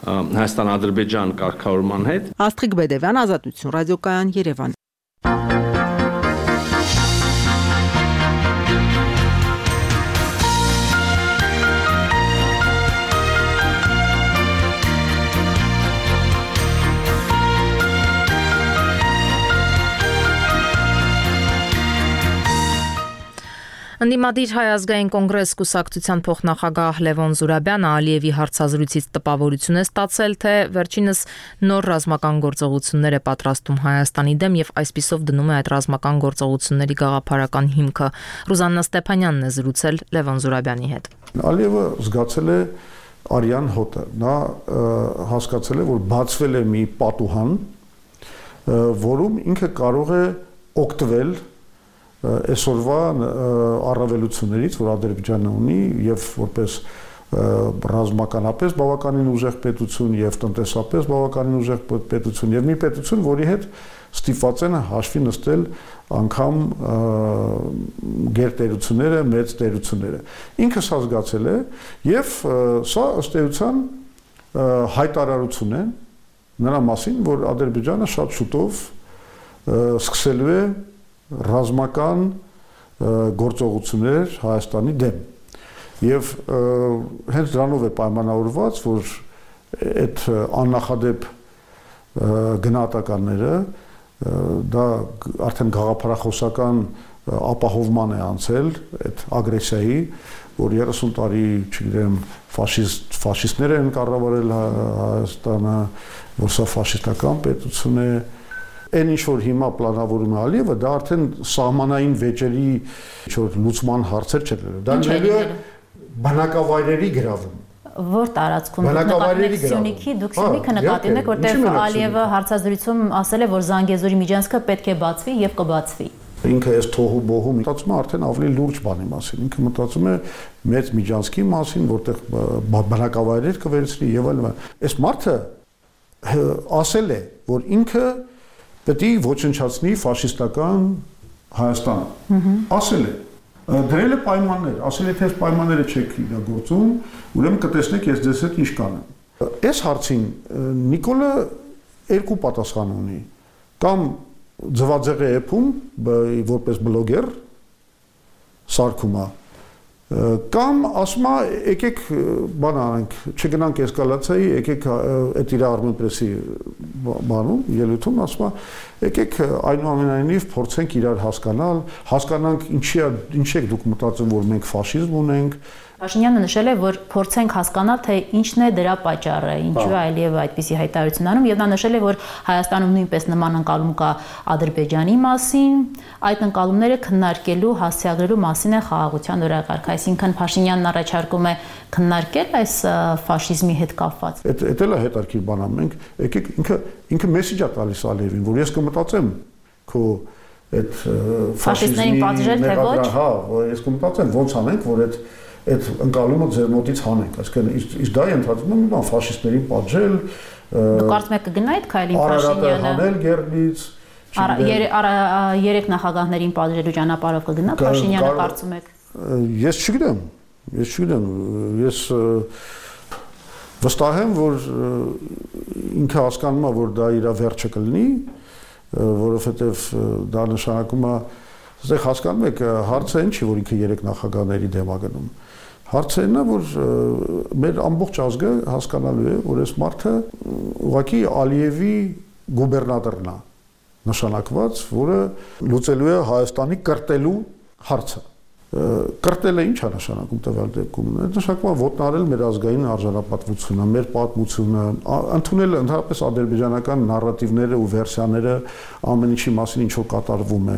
Հայաստան-Ադրբեջան կարգավորման հետ։ Աստղիկ Բեդևյան, Ազատություն, ռադիոկայան, Երևան։ Ընդդիմադիր Հայ ազգային կոնգրես կուսակցության փոխնախագահ Լևոն Զուրաբյանը Ալիևի հարցազրույցից տպավորություն է ստացել, թե վերջինս նոր ռազմական գործողություններ է պատրաստում Հայաստանի դեմ եւ այսպիսով դնում է այդ ռազմական գործողությունների գաղափարական հիմքը։ Ռուզաննա Ստեփանյանն է զրուցել Լևոն Զուրաբյանի հետ։ Ալիևը զգացել է արյան հոտը, նա հասկացել է, որ բացվել է մի պատուհան, որում ինքը կարող է օգտվել այսօրվա առավելություններից, որ Ադրբեջանը ունի եւ որպես ռազմականապես բավականին ուժեղ պետություն եւ տնտեսապես բավականին ուժեղ պետություն եւ մի պետություն, որի հետ ստիպված են հաշվի նստել անգամ գերտերությունները, մեծ տերությունները։ Ինքը սա զգացել է եւ սա ըստ էության հայտարարություն է նրա մասին, որ Ադրբեջանը շատ շուտով սկսելու է ռազմական գործողություններ Հայաստանի դեմ եւ հենց դրանով է պայմանավորված, որ այդ աննախադեպ գնահատականները դա արդեն գաղափարախոսական ապահովման է անցել այդ ագրեսիայի, որ 30 տարի, չգիտեմ, ֆաշիստներ են կառավարել Հայաստանը, որ սա ֆաշիստական պետություն է, այն ինչ որ հիմա պլանավորում է Ալիևը, դա արդեն սահմանային վեճերի լուծման հարցեր չէ, դա նույնը բնակավայրերի գրավում։ Որ տարածքում նկատի Սյունիքի դուք Սյունիքը նկատում եք, որտեղ Ալիևը հարցազրույցում ասել է, որ Զանգեզուրի միջանցքը պետք է բացվի եւ կբացվի։ Ինքը այս թոհու բոհու մտածում է արդեն ավելի լուրջ բանի մասին։ Ինքը մտածում է մեծ միջանցքի մասին, որտեղ բնակավայրեր կվերցնի եւ այլն։ Այս մարդը ասել է, որ ինքը պետք է ոչնչացնի ֆաշիստական Հայաստանը։ Ասել է, դրել է պայմաններ, ասել է, թե այս պայմանները չեք իրագործում, ուրեմն կտեսնեք ես ձեզ հետ ինչ կանեմ։ Այս հարցին Նիկոլը երկու պատասխան ունի։ Կամ ձվածեղ է եփում որպես բլոգեր սարքում է, կամ ասում է եկեք բան անենք, չգնանք էսկալացիայի, եկեք այդ իր Armenpress-ի բանում, ելույթում ասում է եկեք այնուամենայնիվ փորձենք իրար հասկանանք ինչ եք դուք մտածում, որ մենք ֆաշիզմ ունենք։ Փաշինյանը նշել է, որ փորձենք հասկանալ, թե ինչն է դրա պատճառը, ինչու է Ալիևը այդպիսի հայտարարություն անում, եւ նա նշել է, որ Հայաստանում նույնպես նման ընկալում կա Ադրբեջանի մասին, այդ ընկալումները քննարկելու, հասցեագրելու մասին է խաղաղության օրակարգ, այսինքն Փաշինյանն առաջարկում է քննարկել այս ֆաշիզմի հետ կապված։ Էդ էլ է հետարքիր բան, մենք եկեք ինքը մեսիջ է տալիս Ալիևին, որ ես կմտածեմ քո այդ ֆաշիստներին պատժել թե ոչ։ Հա, ես կմտածեմ ոնց անենք, որ այդ ընկալումը ձեր մոտից հանենք, այսինքն իսկ դա ընդհանրում է մի բան ֆաշիստներին պատժել, կարծում եք կգնա այդ քայլին Փաշինյանը հանել գերնից, երեք նախագահներին պատժելու ճանապարհով կգնա Փաշինյանը, կարծում եք։ Ես չգիտեմ, ես վստահ եմ, որ ինքը հասկանում է, որ դա իր վերջը կլինի, որովհետև դա նշանակում է, այստեղ հասկանում եք, հարցը ինչ է, որ ինքը երեք նախագահների դեմ է գնում։ Հարցը այն է, որ մեր ամբողջ ազգը հասկանալու է, որ այս մարդը ուղղակի Ալիևի գուբերնատորն է նշանակված, որը լուծելու է Հայաստանի կրտելու հարցը։ Կրտելը ինչ է նշանակում տվյալ դեպքում։ Նշանակում է ոտնարել մեր ազգային արժանապատվությունը, մեր պատմությունը, ընդունել ընդհանրապես ադրբեջանական նարատիվները ու վերսիաները ամեն ինչի մասին ինչ որ կատարվում է։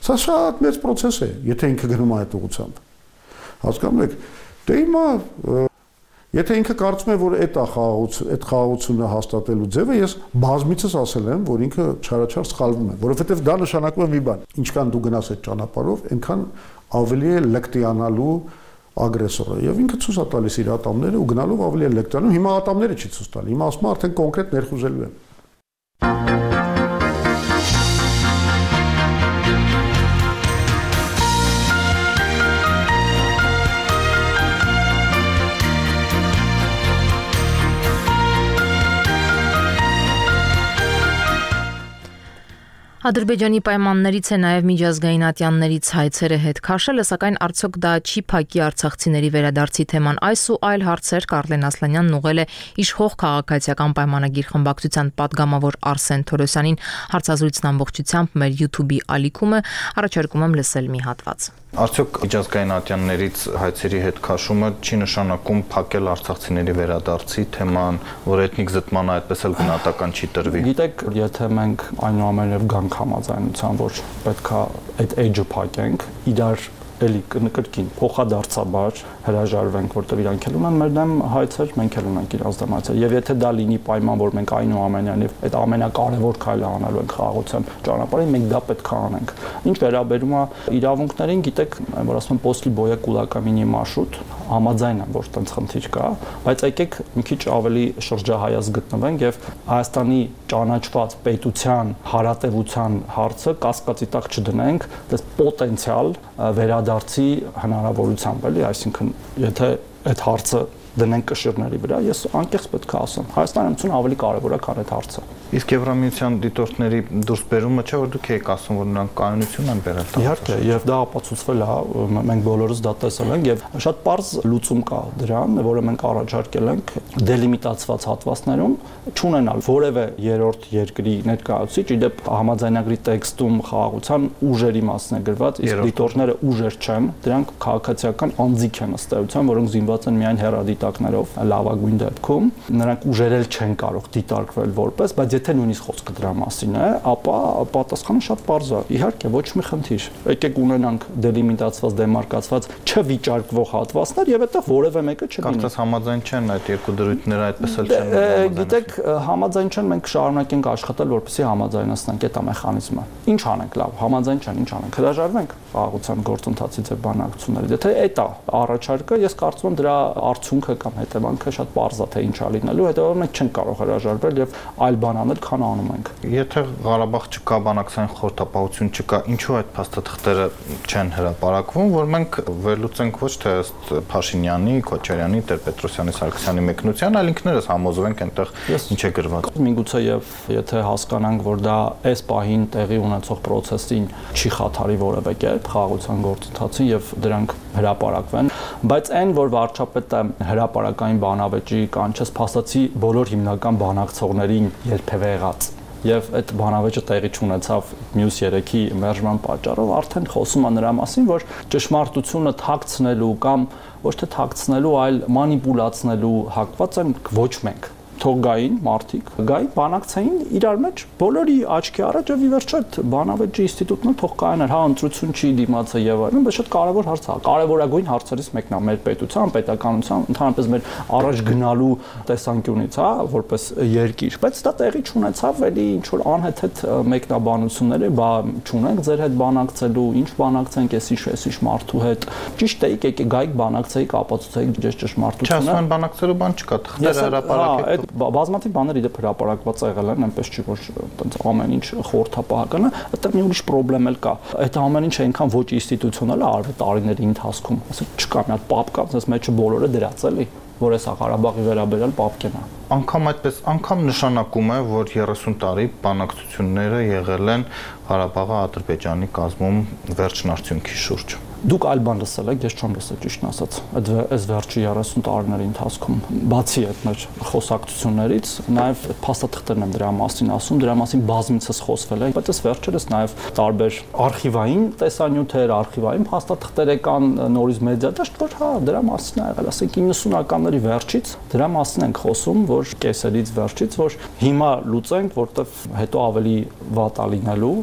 Սա շատ մեծ process է, եթե ինքը գնում է այդ ուղղությամբ։ Հասկանում եք, դե հիմա եթե ինքը կարծում է, որ այդ խաղաղությունը հաստատելու ձևը, ես բազմիցս ասել եմ, որ ինքը չարաչար սխալվում է, որովհետև դա նշանակում է մի բան, ինչքան դու գնաս այդ ճանապարհով, այնքան ավելի է լկտիանալու ագրեսորը եւ ինքը ցույց է տալիս իր ատամները ու գնալով ավելի է լկտիանում, հիմա ատամները չի ցույց տալի, հիմա ասում է արդեն կոնկրետ ներխուժելու է։ Ադրբեջանի պայմաններից է նաև միջազգային ատյաններից հայցերը հետ քաշելը, սակայն արդյոք դա չի փակի արցախցիների վերադարձի թեման։ Այս ու այլ հարցեր Կարլեն Ասլանյանն ուղղել է իշխող քաղաքացիական պայմանագիր խմբակցության պատգամավոր Արսեն Թորոսյանին։ Հարցազրույցն ամբողջությամբ մեր YouTube-ի ալիքում է, առաջարկում եմ լսել մի հատված։ Արդյոք միջազգային ատյաններից հայցերի հետ քաշումը չի նշանակում փակել արցախցիների վերադարձի թեման, որ էթնիկ զտմանը այդպես էլ գնահատական չի տրվի։ Գիտեք, եթե մենք այնուամենայնիվ գանք համաձայնության, որ պետքա այդ edge-ը փակենք, իրար էլի կրկին փոխադարձաբար հրաժարվենք, որտեղ իրանք էլ ունեն մեր դեմ հայցեր, մենք էլ ունենք իրանց դեմ հայցեր։ Եվ եթե դա լինի պայման, որ մենք այնուամենայնիվ այդ ամենակարևոր քայլը անելու ենք խաղաղության ճանապարհին, մենք դա պետք է անենք։ Ինչ վերաբերում է իրավունքներին, գիտեք, որ ասում են «После боя кулаками не машут», համաձայն եմ, որ տենց խնդիր կա, բայց եկեք մի քիչ ավելի շրջահայաց գտնվենք եւ Հայաստանի ճանաչված պետության հարատեվության հարցը կասկածի տակ չդնենք, դες պոտենցիալ վերադարձի հնարավորությամբ, էլի, այսինքն եթե այդ հարցը դնենք կշիռների վրա, ես անկեղծ պետք է ասեմ, Հայաստանի Հանրապետությունը ավելի կարևոր է, քան այդ հարցը։ Իսկ Եվրամիության դիտորդների դուրս բերումը չէ, որ դուք եք ասում, որ նրանք կայունություն են բերել։ Իհարկե, եւ դա ապացուցվել է, մենք բոլորս դա տեսել ենք եւ շատ པարզ լուծում կա դրան, որը մենք առաջարկել ենք դելիմիտացված հատվածներում չունենալ որևէ երրորդ երկրի ներկայացուցիչ, իդեպ համաձայնագրի տեքստում խաղաղության ուժերի մասն է գրված, իսկ դիտորդները ուժեր չեն, դրանք քաղաքացիական անձիկ են ըստ էության, որոնք զինված են միայն հեռադիտակներով լավագույն դեպքում, նրանք ուժերել չեն կարող դիտարկվել որպես, բայց եթե նույնիսկ խոսքը դրա մասին է, ապա պատասխանը շատ պարզ է։ Իհարկե, ոչ մի խնդիր։ Եկեք ունենանք դելիմիտացված, դեմարկացված չվիճարկվող հատվածներ եւ այդտեղ որևէ մեկը չլինի։ Կարծես համաձայն չեն այդ երկու դրույթները այդպես էլ չեն։ Գիտեք, համաձայն չեն, մենք շարունակենք աշխատել, որպեսզի համաձայնացնենք այդ մեխանիզմը։ Ինչ անենք, լավ, համաձայն չեն, ինչ անենք։ Հրաժարվենք խաղաղության գործընթացից եւ բանակցություններից։ Եթե այդ է առաջարկը, ես կարծում եմ դրա արդյունքը կամ հետևանքը շատ պարզ է, թե ինչ է լինելու, հետեւաբար մենք չենք կարող հրաժարվել եւ այլ բան անել, քան անում ենք։ Եթե Ղարաբաղ չկա, բանակցային խորհրդապահություն չկա, ինչու այդ փաստաթղթերը չեն հրապարակվում, որ մենք վերլուծենք ոչ թե ըստ Փաշինյանի, Քոչարյանի, Տեր-Պետրոսյանի, Սարգսյանի մեկնության, այլ ինքներս համոզվենք այնտեղ ինչ է գրված։ Միգուցե եւ եթե հասկանանք, որ դա այս պահին տեղի ունեցող process-ին չի խաթարի որևէ կերպ խաղաղության գործընթացին եւ դրանք հրապարակվեն, բայց այն, որ վարչապետը հրապարակային բանավեճի կանչեց, փաստացի բոլոր հիմնական բանակցողներին երբևէ եղած եւ այդ բանավեճը տեղի չունեցավ մյուս 3-ի մերժման պատճառով, արդեն խոսում է նրա մասին, որ ճշմարտությունը թաքցնելու կամ ոչ թե թաքցնելու, այլ մանիպուլացնելու հակված են ոչ մենք։ Թող գային մարդիկ, գային բանակցային իրար մեջ բոլորի աչքի առաջ եւ ի վերջո այդ բանավեճի ինստիտուտն էլ թող կայանար, հա ընտրություն չի դիմացը եւ այլն, բայց շատ կարեւոր հարց է, կարեւորագույն հարցերից մեկն է մեր պետության, պետականության, ընդհանրապես մեր առաջ գնալու տեսանկյունից, հա, որպես երկիր, բայց դա տեղի չունեցավ, էլի ինչ որ անհեթեթ մեկնաբանությունները, բա չունենք ձեր հետ բանակցելու, ինչ բանակցենք, էսիշ մարդու հետ, ճիշտ է, եկեք գայիք բանակցեիք, ապացուցեիք ձեր ճշմարտությունը։ Չասում են բանակցելու բան չկա, թղթերը հրապարակեք։ Բազմաթիվ բաներ իդեպ հրապարակված եղել են, այնպես չի որ այտենց ամեն ինչ խորհրդապահական է, այդտեղ մի ուրիշ խնդրեմ էլ կա։ Այդ ամեն ինչը այնքան ոչ ինստիտուցիոնալ է արվել տարիների ընթացքում։ Ասենք չկա մի հատ պապ կա, ասես մեջը բոլորը դրած էլի, որ էսա Ղարաբաղի վերաբերյալ պապկեն է։ Անկամ այդպես, անգամ նշանակում է, որ 30 տարի բանակցությունները եղել են Ղարաբաղի Ադրբեջանի կազմում վերջին արդյունքի շուրջ։ Դուք այլ բան լսել եք, ես չեմ լսել ճիշտն ասած։ Այս վերջի 30 տարիների ընթացքում, բացի այդ մեր խոսակցություններից, նաև փաստաթղթերն եմ դրա մասին ասում, դրա մասին բազմիցս խոսվել է, բայց այս վերջերս նաև տարբեր արխիվային տեսանյութեր, արխիվային փաստաթղթեր եկան նորից մեդիադաշտ, որ հա, դրա մասին է եղել, ասենք 90-ականների վերջից դրա մասին ենք խոսում, որ կեսերից վերջից, որ հիմա լուծենք, որտեվ հետո ավելի վատ է լինելու։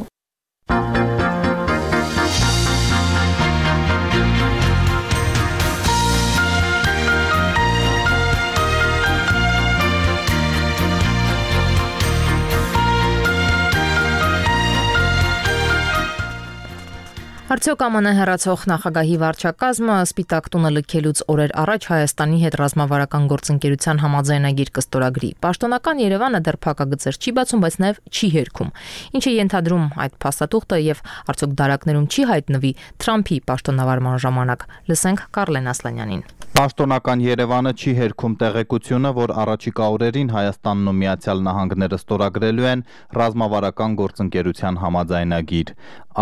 Արդյոք ԱՄՆ հեռացող նախագահի վարչակազմը Սպիտակ տունը լքելուց օրեր առաջ Հայաստանի հետ ռազմավարական գործընկերության համաձայնագիր կստորագրի։ Պաշտոնական Երևանը դեռ փակագծեր չի բացում, բայց նաև չի հերքում։ Ինչ է ենթադրում այդ փաստաթուղթը եւ արդյոք դարակներում չի հայտնվի Թրամփի պաշտոնավարման ժամանակ։ Լսենք Կարլեն Ասլանյանին։ Պաշտոնական Երևանը չի հերքում տեղեկությունը, որ առաջիկա օրերին Հայաստանն ու Միացյալ Նահանգները ստորագրելու են ռազմավարական գործընկերության համաձայնագիր։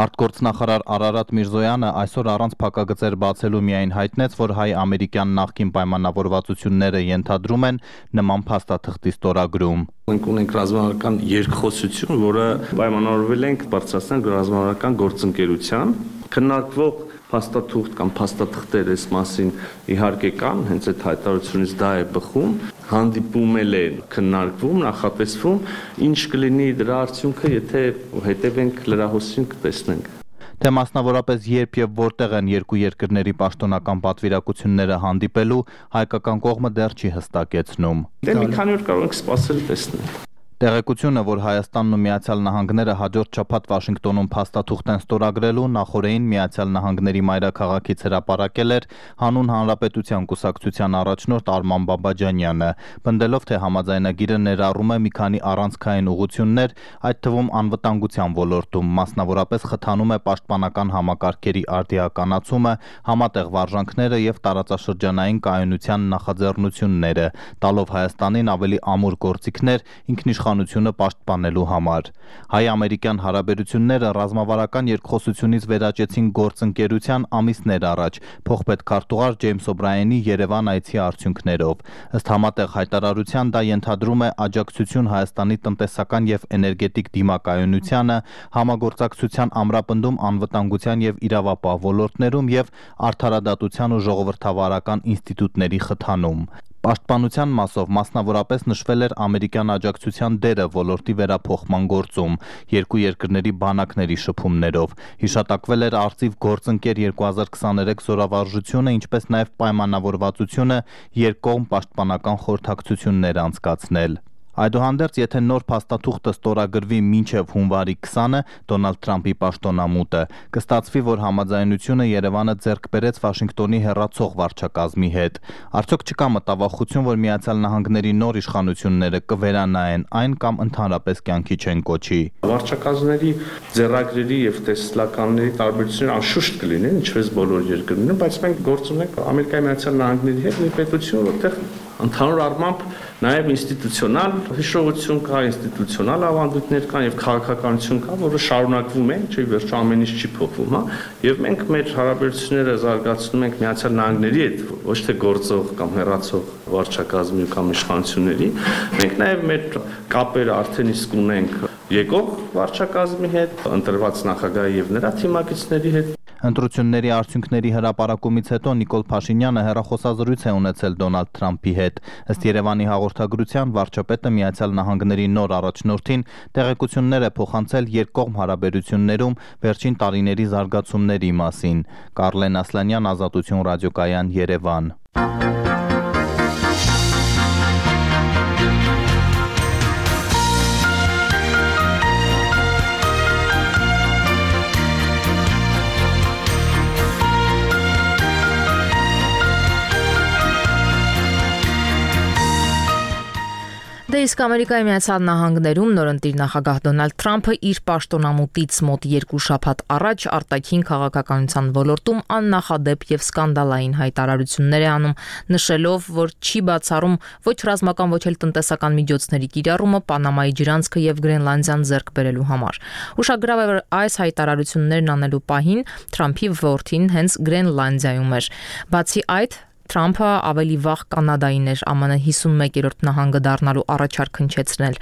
Արտգործնախարար Արարատ Միրզոյանը այսօր առանց փակագծեր բացելու միայն հայտնեց, որ հայ-ամերիկյան նախկին պայմանավորվածությունները ենթադրում են նման փաստաթղթի ստորագրում։ Մենք ունենք ռազմավարական երկխոսություն, որը պայմանավորվել ենք բարձրացնել ռազմավարական գործընկերության, քննարկվող փաստաթուղթ կամ փաստաթղթեր այս մասին իհարկե կան, հենց այդ հայտարարությունից դա է բխում, հանդիպումել են, քննարկվում, նախատեսվում, ինչ կլինի դրա արդյունքը, եթե հետևենք լրահոսին կտեսնենք։ Թե մասնավորապես երբ եւ որտեղ են երկու երկրների պաշտոնական պատվիրակությունները հանդիպելու, հայկական կողմը դեռ չի հստակեցնում։ Դե մի քանի օր կարող ենք սպասել տեսնել։ Տեղեկությունը, որ Հայաստանն ու Միացյալ Նահանգները հաջորդ շաբաթ Վաշինգտոնում փաստաթուղթ են ստորագրելու, նախորդին Միացյալ Նահանգների մայրաքաղաքից հրապարակել էր Հանուն Հանրապետության կուսակցության առաջնորդ Արման Բաբաջանյանը, պնդելով, թե համաձայնագիրը ներառում է մի քանի առանցքային ուղղություններ, այդ թվում անվտանգության ոլորտում, մասնավորապես խթանում է պաշտպանական համակարգերի արդիականացումը, համատեղ վարժանքները եւ տարածաշրջանային կայունության նախաձեռնությունները, տալով Հայաստանին ավելի ամուր գործիքներ ինքնիշխանությունը պաշտպանելու համար։ Հայ-ամերիկյան հարաբերությունները ռազմավարական երկխոսությունից վերաճեցին գործընկերության ամիսներ առաջ, փոխպետքարտուղար Ջեյմս Օբրայենի Երևան այցի արդյունքներով։ Ըստ համատեղ հայտարարության դա ենթադրում է աջակցություն Հայաստանի տնտեսական եւ էներգետիկ դիմակայունությանը, համագործակցության ամրապնդում անվտանգության եւ իրավապահ ոլորտներում եւ արդարադատության ու ժողովրդավարական ինստիտուտների խթանում։ Պաշտպանության մասով մասնավորապես նշվել էր ամերիկյան աջակցության դերը ոլորտի վերափոխման գործում, երկու երկրների բանակների շփումներով, հիշատակվել էր արծիվ գործընկեր 2023 զորավարժությունը, ինչպես նաև պայմանավորվածությունը երկկողմ պաշտպանական խորհրդակցություններ անցկացնել։ Այդուհանդերձ, եթե նոր փաստաթուղթը ստորագրվի մինչև հունվարի 20-ը, Դոնալդ Թրամփի պաշտոնամուտը, կստացվի, որ համաձայնությունը Երևանը ձեռք բերեց Վաշինգտոնի հեռացող վարչակազմի հետ։ Արդյոք չկա մտավախություն, որ Միացյալ Նահանգների նոր իշխանությունները կվերանայեն այն կամ ընդհանրապես կյանքի չեն կոչի։ Վարչակազմների ձեռագրերի եւ տեսլականների տարբերությունները անշուշտ կլինեն, ինչպես բոլոր երկրներում, բայց մենք գործ ունենք Ամերիկայի Միացյալ Նահանգների հետ մի պետություն, որտեղ ընդհանուր առմամբ նաև ինստիտուցիոնալ հիշողություն կա, ինստիտուցիոնալ ավանդույթներ կան եւ քաղաքականություն կա, որը շարունակվում է, չէ՞ վերջը ամեն ինչ չի փոխվում, հա։ Եվ մենք մեր հարաբերությունները զարգացնում ենք Միացյալ Նահանգների հետ, ոչ թե գործող կամ հեռացող վարչակազմի կամ իշխանությունների։ Մենք նաև մեր կապերը արդեն իսկ ունենք եկող վարչակազմի հետ, ընտրված նախագահի եւ նրա թիմակիցների հետ։ Ընտրությունների արդյունքների հրապարակումից հետո Նիկոլ Փաշինյանը հեռախոսազրույց է ունեցել Դոնալդ Թրամփի հետ։ Ըստ Երևանի հաղորդագրության, վարչապետը Միացյալ Նահանգների նոր առաջնորդին տեղեկություններ է փոխանցել երկկողմ հարաբերություններում վերջին տարիների զարգացումների մասին։ Կարլեն Ասլանյան, Ազատություն ռադիոկայան, Երևան։ Դե իսկ Ամերիկայի Միացյալ Նահանգներում նորընտիր նախագահ Դոնալդ Թրամփը իր պաշտոնամուտից մոտ 2 շաբաթ առաջ արտաքին քաղաքականության ոլորտում աննախադեպ եւ սկանդալային հայտարարություններ է անում, նշելով, որ չի բացառում ոչ ռազմական, ոչ էլ տնտեսական միջոցների կիրառումը Պանամայի ջրանցքը եւ Գրենլանդիան ձեռք բերելու համար։ Ուշագրավ է, որ այս հայտարարություններն անելու պահին Թրամփի որդին հենց Գրենլանդիայում էր։ Բացի այդ, Թրամփը ավելի վաղ Կանադային էր ԱՄՆ 51-րդ նահանգը դառնալու առաջարկ հնչեցնել։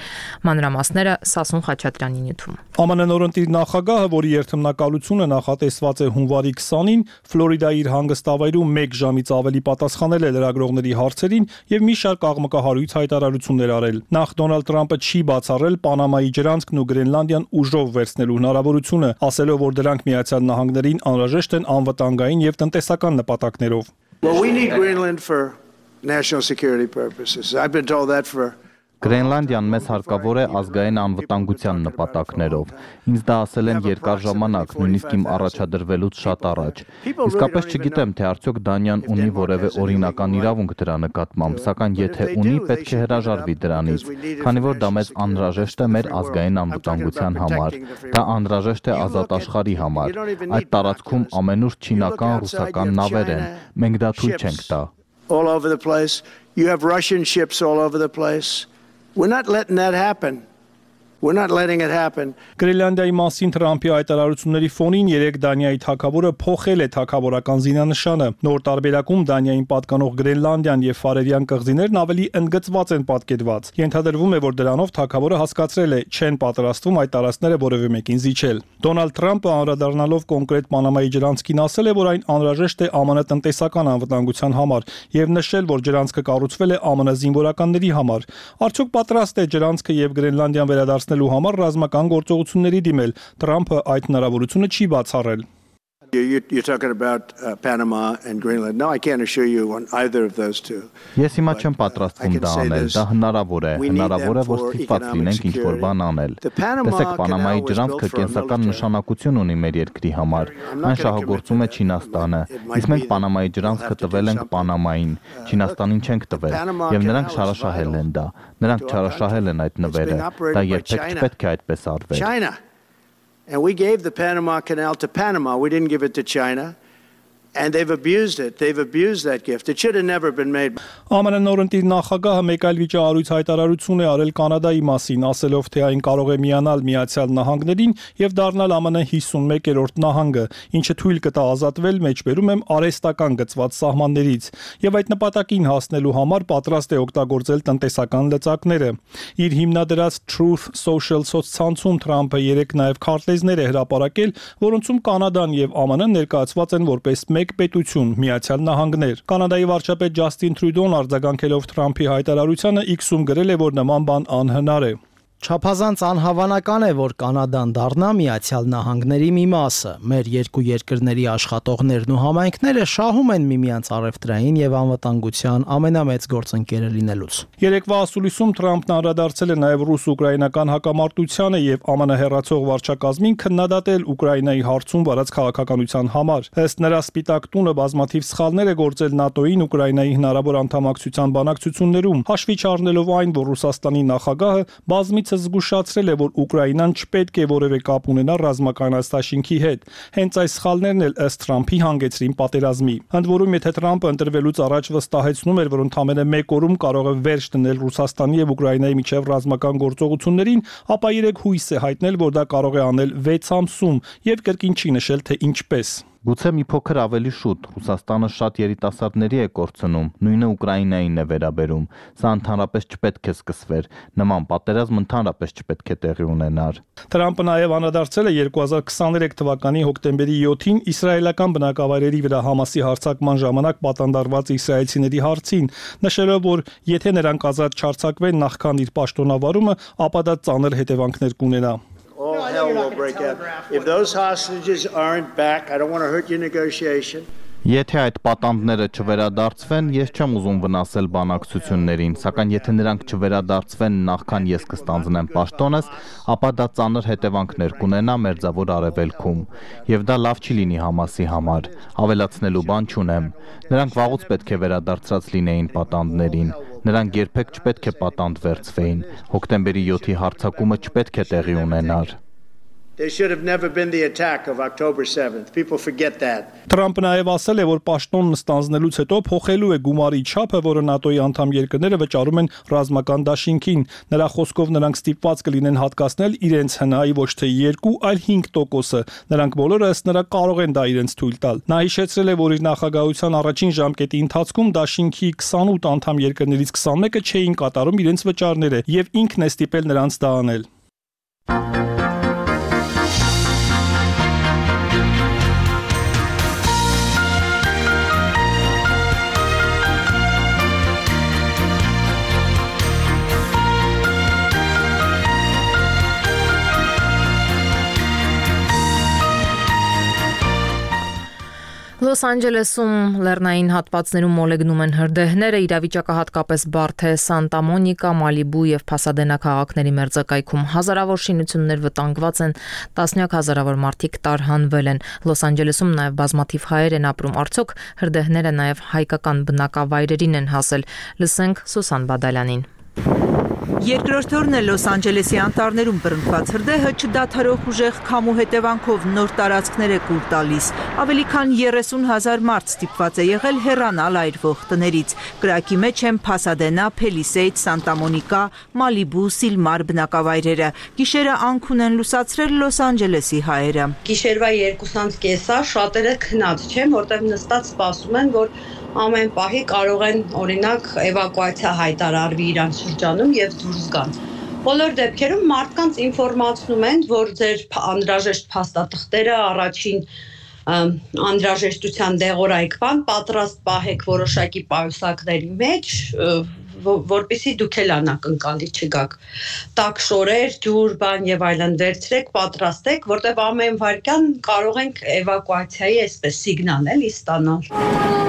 Մանրամասները Սասուն Խաչատրյանի նյութում։ ԱՄՆ նորընտիր նախագահը, որի երթմնակալությունը նախատեսված է հունվարի 20-ին, Ֆլորիդայի իր հանգստավայրում 1 ժամից ավելի պատասխանել է լրագրողների հարցերին եւ մի շարք աղմկահարույց հայտարարություններ արել։ Նախ Դոնալդ Թրամփը չի բացառել Պանամայի ջրանցքն ու Գրենլանդիան ուժով վերցնելու հնարավորությունը, ասելով, որ դրանք Միացյալ Նահանգներին անհրաժեշտ են անվտանգային եւ տնտեսական նպատակներով։ Well, we need Greenland for national security purposes. I've been told that for Գրենլանդիան մեզ հարկավոր է ազգային անվտանգության նպատակներով։ Ինձ դա ասել են երկար ժամանակ, նույնիսկ իմ առաջադրվելուց շատ առաջ։ Իսկապես չգիտեմ, թե արդյոք Դանիան ունի որևէ օրինական իրավունք դրա նկատմամբ, սակայն եթե ունի, պետք է հրաժարվի դրանից, քանի որ դա մեզ անհրաժեշտ է մեր ազգային անվտանգության համար։ Դա անհրաժեշտ է ազատ աշխարհի համար։ Այդ տարածքում ամենուր չինական, ռուսական նավեր են։ Մենք դա թույլ չենք տա։ all over the place. You have Russian ships all over the place. We're not letting that happen. We're not letting it happen. Գրենլանդիայի մասին Թրամփի հայտարարությունների ֆոնին երեք Դանիայի թագավորը փոխել է թագավորական զինանշանը։ Նոր տարբերակում Դանիային պատկանող Գրենլանդիան եւ Ֆարերյան կղզիներն ավելի ընդգծված են պատկերված։ Ենթադրվում է, որ դրանով թագավորը հասկացրել է, չեն պատրաստվում այդ տարածքները որևէ մեկին զիջել։ Դոնալդ Թրամփը անդրադառնալով կոնկրետ Պանամայի ջրանցքին ասել է, որ այն անհրաժեշտ է ԱՄՆ տնտեսական անվտանգության համար եւ նշել, որ ջրանցքը կառուցվել է ԱՄՆ զինվորականների համար։ Արդյոք պատրաստ է ջրանցքը եւ Գրենլանդիան վերադարձնելու համար ռազմական գործողությունների դիմել։ Թրամփը այդ հնարավորությունը չի բացառել։ You're talking about Panama and Greenland. No, I can't assure you on either of those two. Ես հիմա չեմ պատրաստվում դա անել, դա հնարավոր է, որ ստիպված լինենք ինչ-որ բան անել։ Տեսեք, Պանամայի ջրանցքը կենսական նշանակություն ունի մեր երկրի համար։ Այն շահագործում է Չինաստանը, իսկ մենք Պանամայի ջրանցքը տվել ենք Պանամային, Չինաստանին չենք տվել, եւ նրանք շարաշահել են դա։ Նրանք չարաշահել են այդ նվերը, դա երբեք չպետք է այդպես արվեր։ And we gave the Panama Canal to Panama. We didn't give it to China. And they've abused it. They've abused that gift. It should have never been made. ԱՄՆ նորընտիր նախագահը մեկ այլ վիճահարույց հայտարարություն է արել Կանադայի մասին, ասելով, թե այն կարող է միանալ Միացյալ Նահանգներին եւ դառնալ ԱՄՆ 51-րդ նահանգը, ինչը թույլ կտա ազատվել մեջբերում եմ արհեստական գծված սահմաններից, եւ այդ նպատակին հասնելու համար պատրաստ է օգտագործել տնտեսական լծակները։ Իր հիմնադրած Truth Social սոցցանցում Թրամփը երեք նաեւ քարտեզներ է հրապարակել, որոնցում Կանադան եւ ԱՄՆ ներկայացված են որպես մեկ պետություն, Միացյալ Նահանգներ։ Կանադայի վարչապետ Ջաստին Թրյուդոն արձագանքելով Թրամփի հայտարարությանը X-ում գրել է, որ նման բան անհնար է։ Չափազանց անհավանական է, որ Կանադան դառնա Միացյալ Նահանգների մի մասը։ Մեր երկու երկրների աշխատողներն ու համայնքները շահում են միմյանց առևտրային եւ անվտանգության ամենամեծ գործընկերը լինելուց։ Երեկվա ասուլիսում Թրամփն անդրադարձել է նաեւ ռուս-ուկրաինական հակամարտությանը եւ ԱՄՆ հեռացող վարչակազմին քննադատել Ուկրաինայի հարցում վարած քաղաքականության համար։ Ըստ նրա Սպիտակ տունը բազմաթիվ սխալներ է գործել ՆԱՏՕ-ին Ուկրաինայի հնարավոր անդամակցության բանակցություններում, հաշվի չառնելով այն, որ Ռուսաստանի նախագահը բազմիցս զգուշացրել է, որ Ուկրաինան չպետք է որևէ կապ ունենա ռազմական այստաշինքի հետ։ Հենց այս սխալներն էլ ըստ Թրամփի հանգեցրին պատերազմի։ Ընդ որում, եթե Թրամփը ընտրվելուց առաջ վստահեցնում էր, որ ընդամենը մեկ օրում կարող է վերջ դնել Ռուսաստանի եւ Ուկրաինայի միջև ռազմական գործողություններին, ապա երեք հույս է հայտնել, որ դա կարող է անել 6 ամսում եւ կրկին չի նշել, թե ինչպես։ Գուցե մի փոքր ավելի շուտ Ռուսաստանը շատ երիտասարդների է կորցնում, նույնը Ուկրաինային է վերաբերում։ Սա ընդհանրապես չպետք է սկսվեր, նման պատերազմ ընդհանրապես չպետք է տեղի ունենար։ Թրամփը նաև անդրադարձել է 2023 թվականի հոկտեմբերի 7-ին իսրայելական բնակավայրերի վրա Համասի հարձակման ժամանակ պատանդարված իսրայելցիների հարցին, նշելով, որ եթե նրանք ազատ չարձակվեն նախքան իր պաշտոնավարումը, ապա դա ծանր հետևանքներ կունենա։ All hell will break out. If those hostages aren't back, I don't want to hurt your negotiation. Եթե այդ պատանդները չվերադարձվեն, ես չեմ ուզում վնասել բանակցություններին, սակայն եթե նրանք չվերադարձվեն նախքան ես կստանձնեմ պաշտոնս, ապա դա ծանր հետևանքներ կունենա Մերձավոր Արևելքում, եւ դա լավ չի լինի Համասի համար։ Ավելացնելու բան չունեմ։ Նրանք վաղուց պետք է վերադարձած լինեին պատանդներին։ Նրանք երբեք չպետք է պատանդ վերցվեին։ Հոկտեմբերի 7-ի հարձակումը չպետք է տեղի ունենար։ There should have never been the attack of October 7th. People forget that. Թրամփը նաև ասել է, որ պաշտոնն ստանձնելուց հետո փոխելու է գումարի չափը, որը ՆԱՏՕ-ի անդամ երկրները վճարում են ռազմական դաշինքին։ Նրա խոսքով նրանք ստիպված կլինեն հատկացնել իրենց հնայի ոչ թե 2, այլ 5%-ը։ Նրանք բոլորը ըստ նրա կարող են դա իրենց թույլ տալ։ Նա հիշեցրել է, որ իր նախագահության առաջին ժամկետի ընթացքում դաշինքի 28 անդամ երկրներից 21-ը չէին կատարում իրենց վճարները, եւ ինքն է ստիպել նրանց դա անել։ Լոս Անջելեսում լեռնային հատվածներում մոլեգնում են հրդեհները, իրավիճակը հատկապես բարդ է Սանտա Մոնիկա, Մալիբու եւ Փասադենա քաղաքների մերձակայքում հազարավոր շինություններ վտանգված են, տասնյակ հազարավոր մարդիկ տարհանվել են։ Լոս Անջելեսում նաեւ բազմաթիվ հայեր են ապրում, արդյոք հրդեհները նաեւ հայկական բնակավայրերին են հասել։ Լսենք Սուսան Բադալյանին։ Երկրորդ օրն է Լոս Անջելեսի անտառներում բռնկված հրդեհը չդադարող ուժեղ քամու հետևանքով նոր տարածքներ է կուլ տալիս։ Ավելի քան 30,000 մարդ ստիպված է եղել հեռանալ այրվող տներից։ Կրակի մեջ են Փասադենա, Փելիսեյդ, Սանտա Մոնիկա, Մալիբու, Սիլմար բնակավայրերը։ Գիշերը անքուն են լուսացրել Լոս Անջելեսի հայերը։ Գիշերվա 2:30-ը շատերը քնած չեն, որտեղ նստած սպասում են, որ ամեն պահի կարող են օրինակ էվակուացիա հայտարարվի իրանց շրջանում եւ դուրս գան։ Բոլոր դեպքերում մարդկանց ինֆորմացնում են, որ ձեր անհրաժեշտ փաստաթղթերը առաջին անհրաժեշտության դեղորայք բան պատրաստ պահեք որոշակի պայուսակների մեջ, որպեսզի դուք էլ անակնկալի չգաք։ Տաք շորեր, ջուր, բան եւ այլն վերցրեք, պատրաստեք, որտեղ ամեն վայրկյան կարող ենք էվակուացիայի այսպես սիգնալ էլի ստանալ։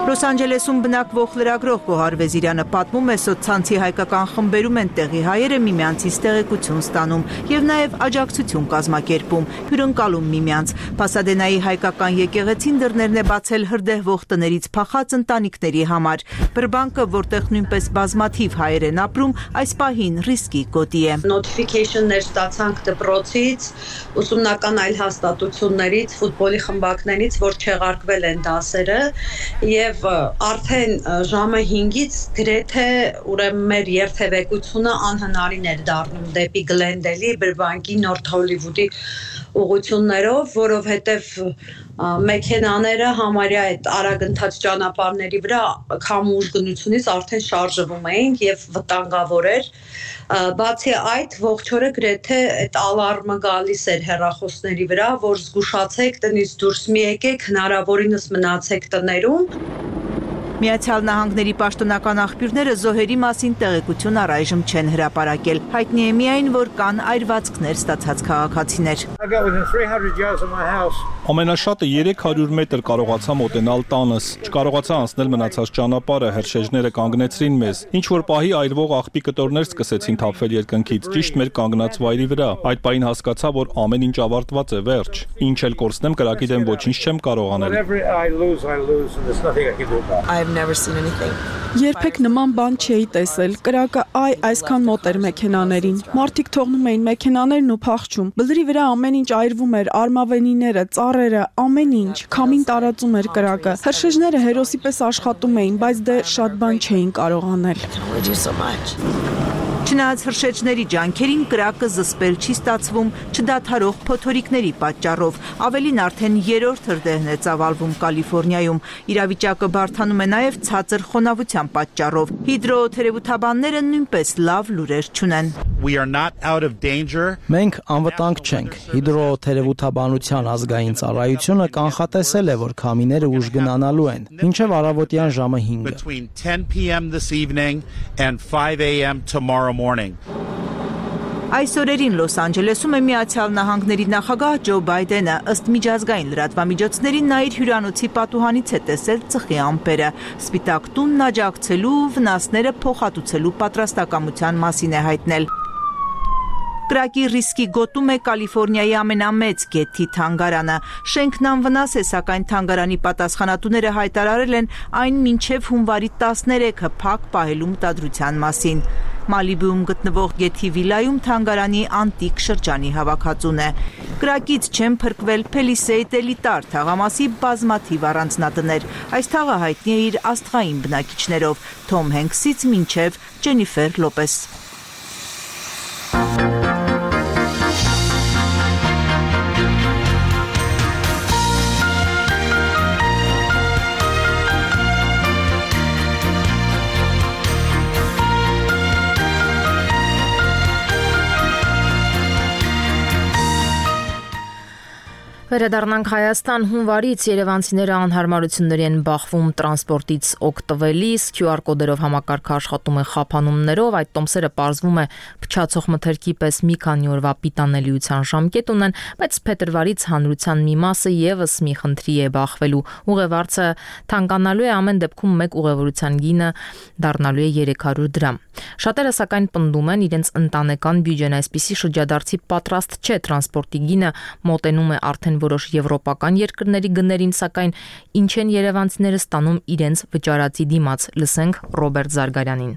Լոս Անջելեսում բնակվող լրագրող Գոհար Վեզիրյանը պատմում է, սոցցանցի հայկական խմբերում են տեղի հայերը միմյանցից տեղեկություն ստանում եւ նաեւ աջակցություն կազմակերպում, հյուրընկալում միմյանց։ Փասադենայի հայկական եկեղեցին դռներն է բացել հրդեհվող տներից փախած ընտանիքների համար։ Բրբանկը, որտեղ նույնպես բազմաթիվ հայեր են ապրում, այս պահին ռիսկի գոտի է։ Նոթիֆիկեյշններ ստացանք դպրոցից, ուսումնական այլ հաստատություններից, ֆուտբոլի խմբակներից, որ չեղարկվել են դասերը եւ արդեն ժամը 5-ից գրեթե ուրեմն մեր երթևեկությունը անհնարին էր դառնում դեպի Գլենդելի, Բրբանկի, Նորթ Հոլիվուդի ուղղություններով, որովհետև մեքենաները համարյա այդ արագընթաց ճանապարհների վրա քամու ուժգնությունից արդեն շարժվում էին եւ վտանգավոր էր։ Բացի այդ, ողջ օրը գրեթե այդ ալարմը գալիս էր հեռախոսների վրա, որ զգուշացեք, տնից դուրս մի եկեք, հնարավորինս մնացեք տներում։ Միացյալ Նահանգների պաշտոնական աղբյուրները զոհերի մասին տեղեկություն առայժմ չեն հրապարակել։ Հայտնի է միայն, որ կան այրվածքներ ստացած քաղաքացիներ։ Ամենաշատը 300 մետր կարողացա մոտենալ տանս։ Չկարողացա անցնել մնացած ճանապարհը, հրշեջները կանգնեցրին մեզ։ Ինչ որ պահի այրվող աղբի կտորներ սկսեցին թափվել երկնքից, ճիշտ մեր կանգնած վայրի վրա։ Այդ պահին հասկացա, որ ամեն ինչ ավարտված է, վերջ։ Ինչ էլ կորցնեմ, կրակի դեմ ոչինչ չեմ կարող անել։ Երբեք նման բան չէի տեսել։ Կրակը այսքան մոտ էր մեքենաներին։ Մարդիկ թողնում էին մեքենաներն ու փախչում։ Բլրի վրա ամեն ինչ այրվում էր, արմավենիները, ծառերը, ամեն ինչ։ Քամին տարածում էր կրակը։ Հրշեջները հերոսի պես աշխատում էին, բայց դե շատ բան չէին կարող անել։ Չնայած հրշեջների ջանքերին կրակը զսպել չի ստացվում չդադարող փոթորիկների պատճառով։ Ավելին արդեն 3-րդ հրդեհն է ծավալվում Կալիֆոռնիայում։ Իրավիճակը բարդանում է նաև ցածր խոնավության պատճառով։ Հիդրոթերապևտաբանները նույնպես լավ լուրեր չունեն։ Մենք անվտանգ չենք։ Հիդրոթերապևտաբանության ազգային ծառայությունը կանխատեսել է, որ քամիները ուժգնանալու են մինչև առավոտյան ժամը 5-ը։ Այս օրերին Լոս Անջելեսում է Միացյալ Նահանգների նախագահ Ջո Բայդենը, ըստ միջազգային լրատվամիջոցների նա իր հյուրանոցի պատուհանից է տեսել ծխի ամպերը։ Սպիտակ տունն աջակցելու ու վնասները փոխհատուցելու պատրաստակամության մասին է հայտնել։ Կրակի ռիսկի գոտում է Կալիֆոռնիայի ամենամեծ գեթի թանգարանը։ Շենքն անվնաս է, սակայն թանգարանի պատասխանատուները հայտարարել են այն մինչև հունվարի 13-ը փակ պահելու մտադրության մասին։ Մալիբուում գտնվող գեթի վիլայում թանգարանի անտիկ շրջանի հավաքածուն է։ Կրակից չեն փրկվել Փելիսեյդ էլիտար թաղամասի բազմաթիվ առանձնատներ։ Այս թաղը հայտնի է իր աստղային բնակիչներով՝ Թոմ Հենքսից մինչև Ջենիֆեր Լոպես։ Վերադառնանք Հայաստան, հունվարից երևանցիները անհարմարությունների են բախվում տրանսպորտից օգտվելիս, QR կոդերով համակարգը աշխատում է խափանումներով, այդ տոմսերը պարզվում է փչացող մթերքի պես մի քանի օրվա պիտանելիության ժամկետ ունեն, բայց փետրվարից հանրության մի մասը եւս մի խնդրի է բախվելու։ Ուղևորցը թանկանալու է, ամեն դեպքում մեկ ուղևորության գինը դառնալու է 300 դրամ։ Շատերը սակայն պնդում են, իրենց ընտանեկան բյուջեն այսպիսի շրջադարձի պատրաստ չէ, տրանսպորտի գինը մոտենում է արդեն որոշ եվրոպական երկրների գներին, սակայն ինչ են երևանցիները ստանում իրենց վճարածի դիմաց, լսենք Ռոբերտ Զարգարյանին։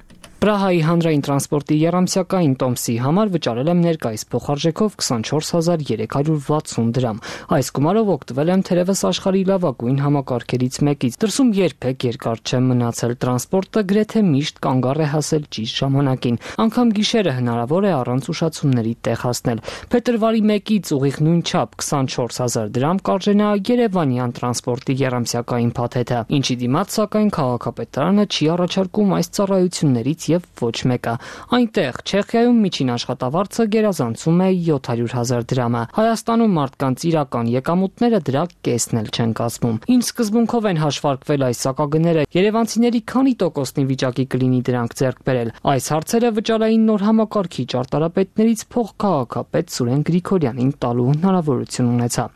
Պրահայի հանրային տրանսպորտի երամսյակային տոմսի համար վճարել եմ ներկայիս փոխարժեքով 24360 դրամ։ Այս գումարով օգտվել եմ թերևս աշխարհի լավագույն համակարգերից մեկից։ Դրսում երբեք երկար չեմ մնացել, տրանսպորտը գրեթե միշտ կանգառ է հասել ճիշտ ժամանակին։ Անգամ գիշերը հնարավոր է առանց ուշացումների տեղ հասնել։ Փետրվարի 1-ից ուղիղ նույն չափ 24000 դրամ կարժենա Երևանյան տրանսպորտի երամսյակային փաթեթը, ինչի դիմաց սակայն քաղաքապետարանը չի առաջարկում այս ծառայություններից եւ ոչ մեկը։ Այնտեղ Չեխիայում միջին աշխատավարձը գերազանցում է 700,000 դրամը։ Հայաստանում մարդկանց իրական եկամուտները դրա կեսն էլ չեն կազմում։ Ինչ սկզբունքով են հաշվարկվել այս սակագները, երևանցիների քանի տոկոսնի վիճակի կլինի դրանք ձեռք բերել։ Այս հարցերը վճարային նոր համակարգի ճարտարապետներից փոխքաղաքապետ Սուրեն Գրիգորյանին տալու հնարավորություն ունեցա։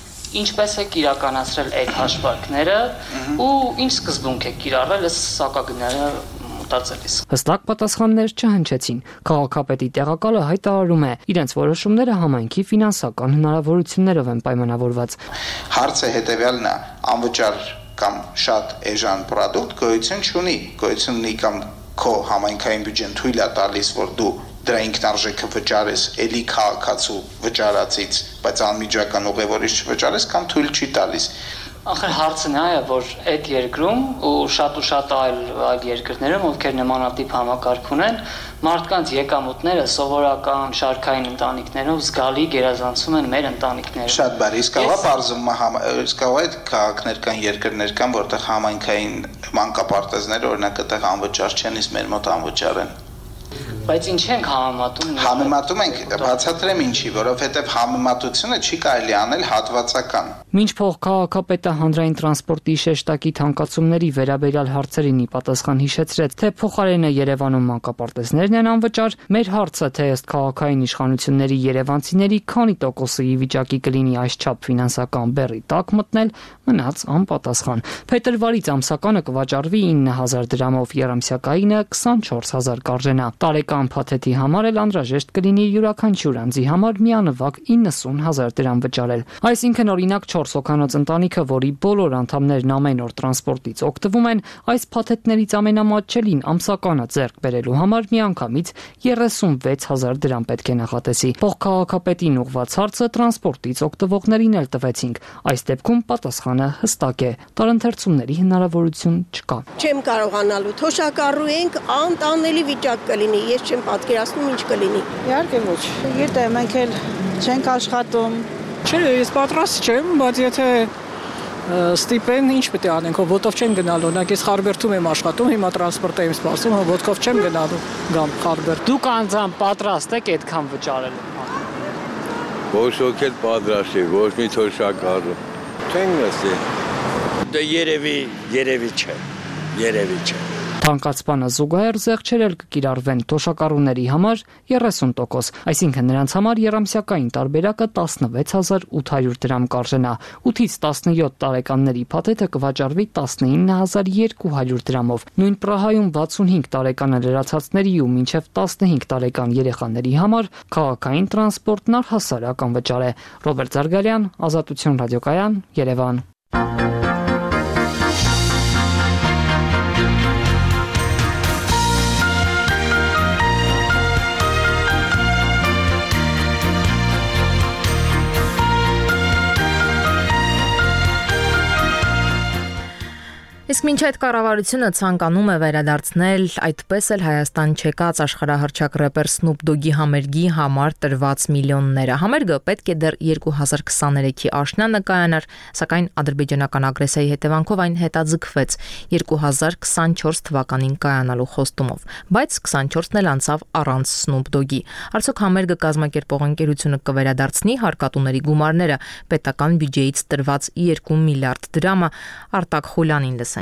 Ինչպես եք իրականացրել այդ հաշվարկները ու ինչ սկզբունք եք կիրառել այս սակագները մտածելիս։ Հստակ պատասխաններ չհնչեցին։ Քաղաքապետի տեղակալը հայտարարում է, իրենց որոշումները համայնքի ֆինանսական հնարավորություններով են պայմանավորված։ Հարցը հետևյալն է, անվճար կամ շատ էժան պրոդուկտ գոյություն ունի կամ քո համայնքային բյուջեն թույլ է տալիս, որ դու դրա ինքնարժեքը վճարես էլի քաղաքացու վճարածից, բայց անմիջական ուղևորից չվճարես կամ թույլ չի տալիս։ Ախր հարցն է, որ այդ երկրում ու շատ այլ երկրներում, ովքեր նմանատիպ համակարգ ունեն, մարդկանց եկամուտները սովորական շարքային ընտանիքներով զգալի գերազանցում են մեր ընտանիքները։ Շատ բարի, իսկ այդ քաղաքներ կան, երկրներ կան, որտեղ համայնքային մանկապարտեզները օրինակ այդտեղ անվճար չեն, իսկ մեր մոտ անվճար են։ Բայց ինչ ենք համեմատում։ Համեմատում ենք, բացատրեմ ինչի, որովհետև համեմատությունը չի կարելի անել հատվածական։ Մինչ փոխքաղաքապետը հանրային տրանսպորտի շեշտակի թանկացումների վերաբերյալ հարցերին ի պատասխան հիշեցրեց, թե փոխարենը Երևանում մանկապարտեզներն են անվճար, մեր հարցը, թե ըստ քաղաքային իշխանությունների երևանցիների քանի տոկոսի վիճակի կլինի այսչափ ֆինանսական բեռի տակ մտնել, մնաց անպատասխան։ Փետրվարից ամսականը կվաճառվի 9000 դրամով, երամսյակայինը 24000 կարժենա։ Տարեկան փաթեթի համար էլ անհրաժեշտ կլինի յուրաքանչյուր անձի համար միանվագ 90000 դրամ վճարել։ Այսինքն օրինակ 4 հոգանոց ընտանիքը, որի բոլոր անդամներն ամեն օր տրանսպորտից օգտվում են, այս փաթեթներից ամենամատչելին ամսականը ձեռք բերելու համար միանգամից 36000 դրամ պետք է նախատեսի։ Փոխքաղաքապետին ուղղված հարցը տրանսպորտից օգտվողներին էլ տվեցինք։ Այս դեպքում պատասխանը հստակ է՝ տարընթերցումների հնարավորություն չկա։ Չեմ կարողանալու, թոշակառու ենք, անտանելի վիճակ կլինի, ես չեմ պատկերացնում ինչ կլինի։ Իհարկե ոչ։ Գիտե, մենք էլ չենք աշխատում։ Չէ, ես պատրաստ չեմ, բայց եթե ստիպեն, ինչ պետք է անենք, ոտով չեմ գնալու, օրինակ ես Խարբերդում եմ աշխատում, հիմա տրանսպորտ եմ սպասում, ոտքով չեմ գնալու, գամ Խարբերդ։ Դուք անձամբ պատրաստ եք այդքան վճարել։ Ոչ ոք էլ պատրաստ չի, ոչ մի թոշակառու։ Չենք նստի։ Դե երևի չէ։ Թանկացմանը զուգահեռ զեղչեր էլ կկիրառվեն թոշակառուների համար 30%, այսինքն նրանց համար երամսյակային տարբերակը 16800 դրամ կարժենա, 8-ից 17 տարեկանների փաթեթը կվաճառվի 19200 դրամով։ Նույն Պրահայում 65 տարեկան լրացածների ու մինչև 15 տարեկան երեխաների համար քաղաքային տրանսպորտն առհասարակ անվճար է։ Ռոբերտ Զարգալյան, Ազատություն ռադիոկայան, Երևան։ Իսկ մինչ այդ կառավարությունը ցանկանում է վերադարձնել այդպես էլ Հայաստան չեկած աշխարհահռչակ рэպեր Snoop Dogg-ի համերգի համար տրված միլիոնները։ Համերգը պետք է դեռ 2023-ի աշնանը կայանար, սակայն ադրբեջանական ագրեսիայի հետևանքով այն հետաձգվեց 2024 թվականին կայանալու խոստումով, բայց 24-ն էլ անցավ առանց Snoop Dogg-ի։ Արդյոք համերգը կազմակերպող ընկերությունը կվերադարձնի հարկատուների գումարները, պետական բյուջեից տրված 2 միլիարդ դրամը, Արտակ Խուլյանին լսենք։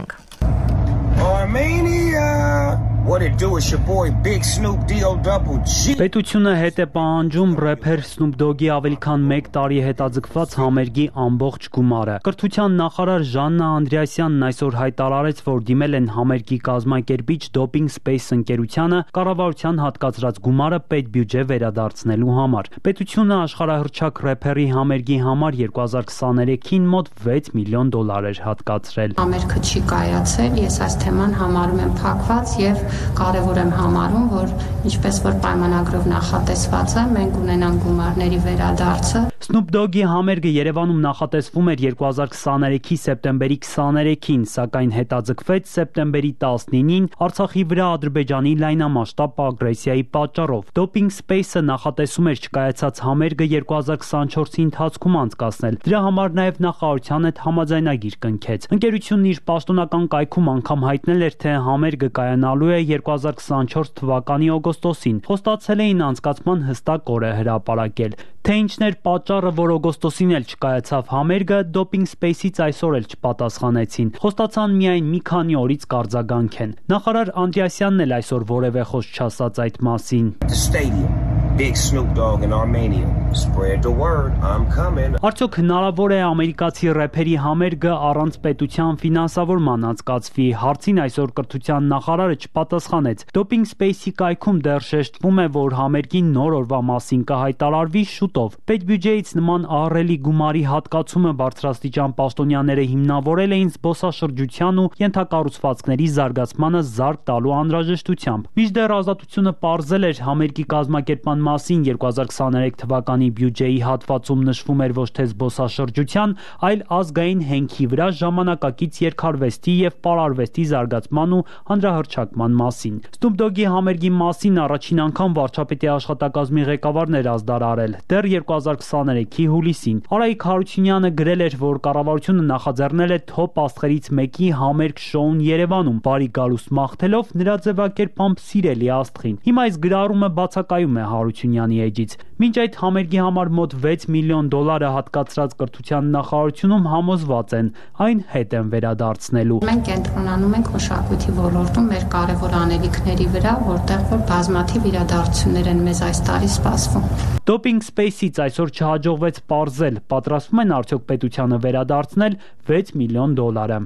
Armenia. What it do is your boy Big Snoop D-O-double-G. Պետությունը հետ է պահանջում рэփեր Snoop Dogg-ի ավելի քան 1 տարի հետաձգված համերգի ամբողջ գումարը։ Կրթության նախարար Ժաննա Անդրեասյանն այսօր հայտարարեց, որ դիմել են համերգի կազմակերպիչ Doping Space ընկերությանը կառավարության հատկացրած գումարը պետբյուջե վերադարձնելու համար։ Պետությունը աշխարհահռչակ рэփերի համերգի համար 2023-ին մոտ $6 միլիոն էր հատկացրել։ Համերգը չի կայացել, ես այս թեման համարում եմ փակված եւ կարևոր եմ համարում, որ ինչպես որ պայմանագրով նախատեսված է, մենք ունենանք գումարների վերադարձը։ Snoop Dogg-ի համերգը Երևանում նախատեսվում էր 2023-ի սեպտեմբերի 23-ին, սակայն հետաձգվեց սեպտեմբերի 19-ին Արցախի վրա Ադրբեջանի լայնամասշտաբ ագրեսիայի պատճառով։ Doping Space-ը նախատեսում էր չկայացած համերգը 2024-ի ընթացքում անցկացնել։ Դրա համար նաև նախարարության հետ համաձայնագիր կնքեց։ Ընկերությունն իր պաշտոնական կայքում անգամ հայտնել էր, թե համերգը կայանալու է 2024 թվականի օգոստոսին։ Խոստացել էին անցկացման հստակ օրը հրապարակել։ Թե ինչն էր պատճառը, որ օգոստոսին էլ չկայացավ համերգը, Doping Space-ից այսօր էլ չպատասխանեցին։ Խոստացան միայն մի քանի օրից կարձագանքեն։ Նախարար Անդրեասյանն էլ այսօր որևէ խոսք չասաց այդ մասին։ Big Snoop Dogg in Armenia. Spread the word. I'm coming. Արդյոք հնարավոր է ամերիկացի рэփերի համերգը առանց պետության ֆինանսավորման անցկացվի։ Հարցին այսօր կրթության նախարարը չպատասխանեց։ Doping Space-ի կայքում դեռ շեշտվում է, որ համերգի նոր օրվա մասին կհայտարարվի շուտով։ Պետբյուջեից նման ահռելի գումարի հատկացումը բարձրաստիճան պաշտոնյաները հիմնավորել էին զբոսաշրջության ու ենթակառուցվածքների զարգացմանը զարկ տալու անհրաժեշտությամբ։ Մինչդեռ Ազատությունը պարզել էր համերգի կազմակերպման մասին 2023 թվականի բյուջեի հատվածում նշվում էր ոչ թե զբոսաշրջության, այլ ազգային հենքի վրա ժամանակակից երկարվեստի եւ պարարվեստի զարգացման ու հանրահռչակման մասին։ Snoop Dogg-ի համերգի մասին առաջին անգամ վարչապետի աշխատակազմի ղեկավարն էր ազդարարել դեռ 2023-ի հուլիսին։ Արայիկ Հարությունյանը գրել էր, որ կառավարությունը նախաձեռնել է թոփ աստղերից մեկի համերգ շոուն Երևանում, բարի գալուստ մաղթելով նրա ձևակերպամբ սիրելի աստղին։ Հիմա այս գրառումը բացակայում է Հարությունյանի էջից։ Մինչ այդ համերգի համար մոտ 6 միլիոն դոլարը հատկացրած կրթության նախարարությունում համոզված են այն հետ են վերադարձնելու։ Մենք կենտրոնանում ենք մշակույթի ոլորտում մեր կարևոր անելիքների վրա, որտեղ որ բազմաթիվ իրադարձություններ են մեզ այս տարի սպասվում։ Doping Space-ից այսօր չհաջողվեց պարզել, պատրաստվում են արդյոք պետությանը վերադարձնել 6 միլիոն դոլարը։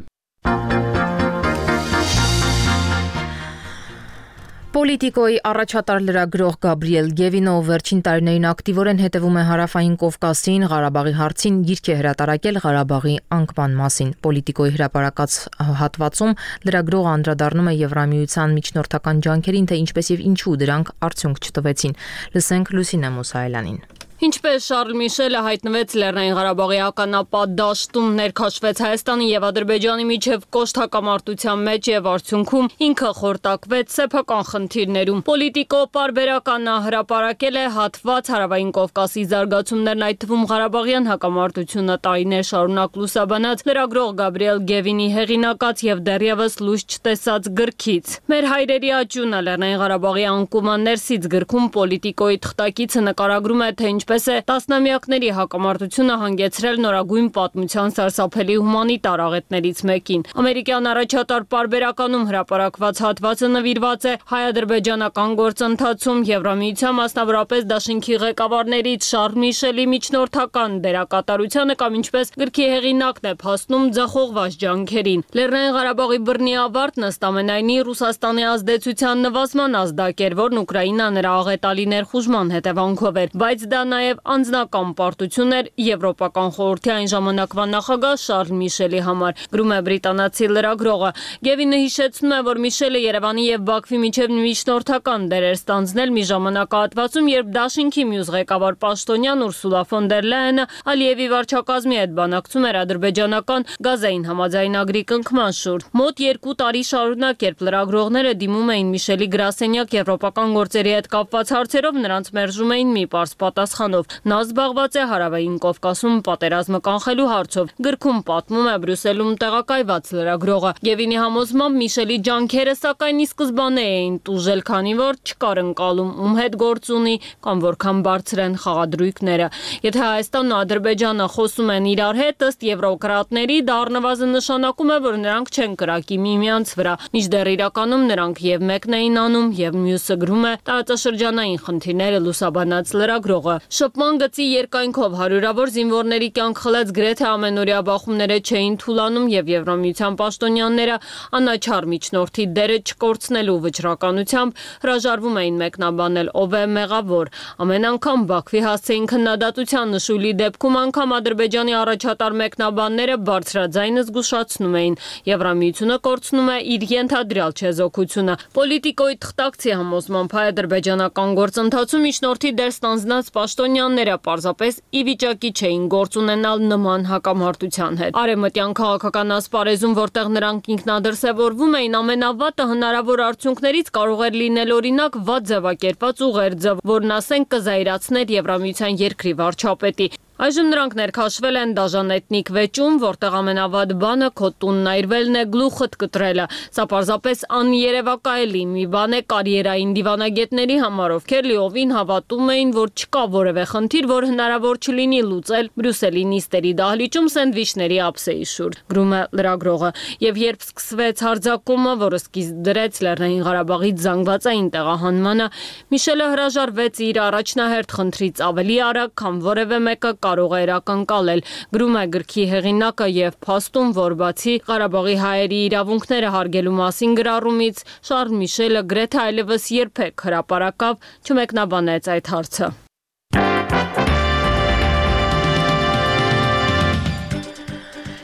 Պոլիտիկոյի առաջատար լրագրող Գաբրիել Գևինը վերջին տարիներին ակտիվորեն հետևում է Հարավային Կովկասին, Ղարաբաղի հարցին, գիրք է հրատարակել Ղարաբաղի անկման մասին։ Պոլիտիկոյի հրապարակած հատվածում լրագրողը անդրադառնում է Եվրամիության միջնորդական ջանքերին, թե ինչպես եւ ինչու դրանք արդյունք չտվեցին։ Լսենք Լուսինե Մուսայելյանին։ Ինչպես Շարլ Միշելը հայտնվեց Լեռնային Ղարաբաղի ականապատ դաշտում, ներքաշվեց Հայաստանի եւ Ադրբեջանի միջև կոշտ հակամարտության մեջ եւ արդյունքում ինքը խորտակվեց սեփական խնդիրներում։ Պոլիտիկո պարբերականն հրապարակել է հատված Հարավային Կովկասի զարգացումներն, այդ թվում Ղարաբաղյան հակամարտությունը տարիներ շարունակ լուսաբանած լրագրող Գաբրիել Գևինի հեղինակած եւ դեռևս լույս չտեսած գրքից։ Մեր հայրերի աճյունը Լեռնային Ղարաբաղի անկման ներսից գրքում Պոլիտիկոյի թղթակիցը նկարագրում է, թե ինչպես է տասնամյակների հակամարտությունը հանգեցրել նորագույն պատմության սարսափելի հումանիտար աղետներից մեկին։ Ամերիկյան առաջատար պարբերականում հրապարակված հատվածը նվիրված է հայ-ադրբեջանական գործընթացում Եվրամիության, մասնավորապես դաշինքի ղեկավարներից Շարլ Միշելի միջնորդական դերակատարությանը կամ ինչպես գրքի հեղինակն է փաստում ձախողված ջանքերին։ Լեռնային Ղարաբաղի բռնի ավարտն ըստ ամենայնի Ռուսաստանի ազդեցության նվազման ազդակ էր, որն Ուկրաինա նրա աղետալի ներխուժման հետևանքով էր, բայց դա նաև անձնական պարտություն էր Եվրոպական խորհրդի այն ժամանակվա նախագահ Շարլ Միշելի համար, գրում է բրիտանացի լրագրողը։ Գևինը հիշեցնում է, որ Միշելը Երևանի եւ Բաքվի միջև միջնորդական դեր էր ստանձնել մի ժամանակահատվածում, երբ դաշինքի մյուս ղեկավար պաշտոնյան Ուրսուլա ֆոն դեր Լայենը Ալիևի վարչակազմի հետ բանակցում էր ադրբեջանական գազային համաձայնագրի կնքման շուրջ։ Մոտ 2 տարի շարունակ, երբ լրագրողները դիմում էին Միշելի գրասենյակ եվրոպական գործերի հետ կապված հարցերով, նրանց մերժում էին մի պարզ պատասխանով։ Նա զբաղված է Հարավային Կովկասում պատերազմը կանխելու հարցով։ Գրքում պատմում է Բրյուսելում տեղակայված լրագրողը։ Գևինի համոզմամբ Միշելի ջանքերը սակայն ի սկզբանե էին տուժել, քանի որ չկար ընկալում ում հետ գործ ունի կամ որքան բարձր են խաղադրույքները։ Եթե Հայաստանն ու Ադրբեջանը խոսում են իրար հետ, ըստ եվրոկրատների, դա առնվազն նշանակում է, որ նրանք չեն կրակի միմյանց վրա։ Մինչդեռ իրականում նրանք եւ մեկն էին անում, եւ մյուսը, գրում է տարածաշրջանային խնդիրները լուսաբանած լրագրողը։ Շփման գծի երկայնքով հարյուրավոր զինվորների կյանք խլեց գրեթե ամենօրյա բախումները չէին թուլանում եւ Եվրամիության պաշտոնյաները անաչառ միջնորդի դերը չկորցնելու վճռականությամբ հրաժարվում էին մեկնաբանել ով է մեղավոր։ Ամեն անգամ Բաքվի հասցեին քննադատության նշույլի դեպքում անգամ Ադրբեջանի առաջատար մեկնաբանները բարձրաձայնը զգուշացնում էին։ Եվրամիությունը կորցնում է իր ենթադրյալ չեզոքությունը։ Պոլիտիկոյի թղթակցի համոզմամբ հայ-ադրբեջանական գործընթացում միջնորդի դեր ստանձնած պաշտոնյաները պարզապես ի վիճակի չէին գործ ունենալ նման հակամարտության հետ։ Արևմտյան քաղաքական ասպարեզում, որտեղ նրանք ինքնադրսևորվում էին, ամենավատը հնարավոր արդյունքներից կարող էր լինել օրինակ վատ ձևակերպված ուղերձը, որն ասենք կզայրացներ Եվրամիության երկրի վարչապետի։ Այժմ նրանք ներքաշվել են դաժան էթնիկ վեճում, որտեղ ամենավատ բանը քո տունն այրվելն է, գլուխդ կտրելը։ Սա պարզապես աներևակայելի մի բան է կարիերային դիվանագետների համար, ովքեր լիովին հավատում էին, որ չկա որևէ խնդիր, որ հնարավոր չլինի լուծել Բրյուսելի նիստերի դահլիճում սենդվիչների ափսեի շուրջ, գրում է լրագրողը։ Եվ երբ սկսվեց հարձակումը, որը սկիզբ դրեց Լեռնային Ղարաբաղից զանգվածային տեղահանմանը, Միշելը հրաժարվեց իր առաջնահերթ խնդրից ավելի արագ, քան որևէ մեկը կարող էր ակնկալել, գրում է գրքի հեղինակը եւ փաստում, որ բացի Ղարաբաղի հայերի իրավունքները հարգելու մասին գրառումից, Շարլ Միշելը գրեթե այլևս երբեք հրապարակավ չմեկնաբանեց այդ հարցը։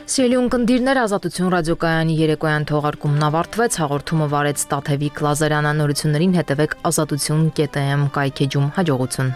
Սիրելի ունկնդիրներ, Ազատություն ռադիոկայանի երեկոյան թողարկումն ավարտվեց, հաղորդումը վարեց Տաթևիկ Լազարյանը, նորություններին հետևեք azatutun.am կայքեջում, հաջողություն։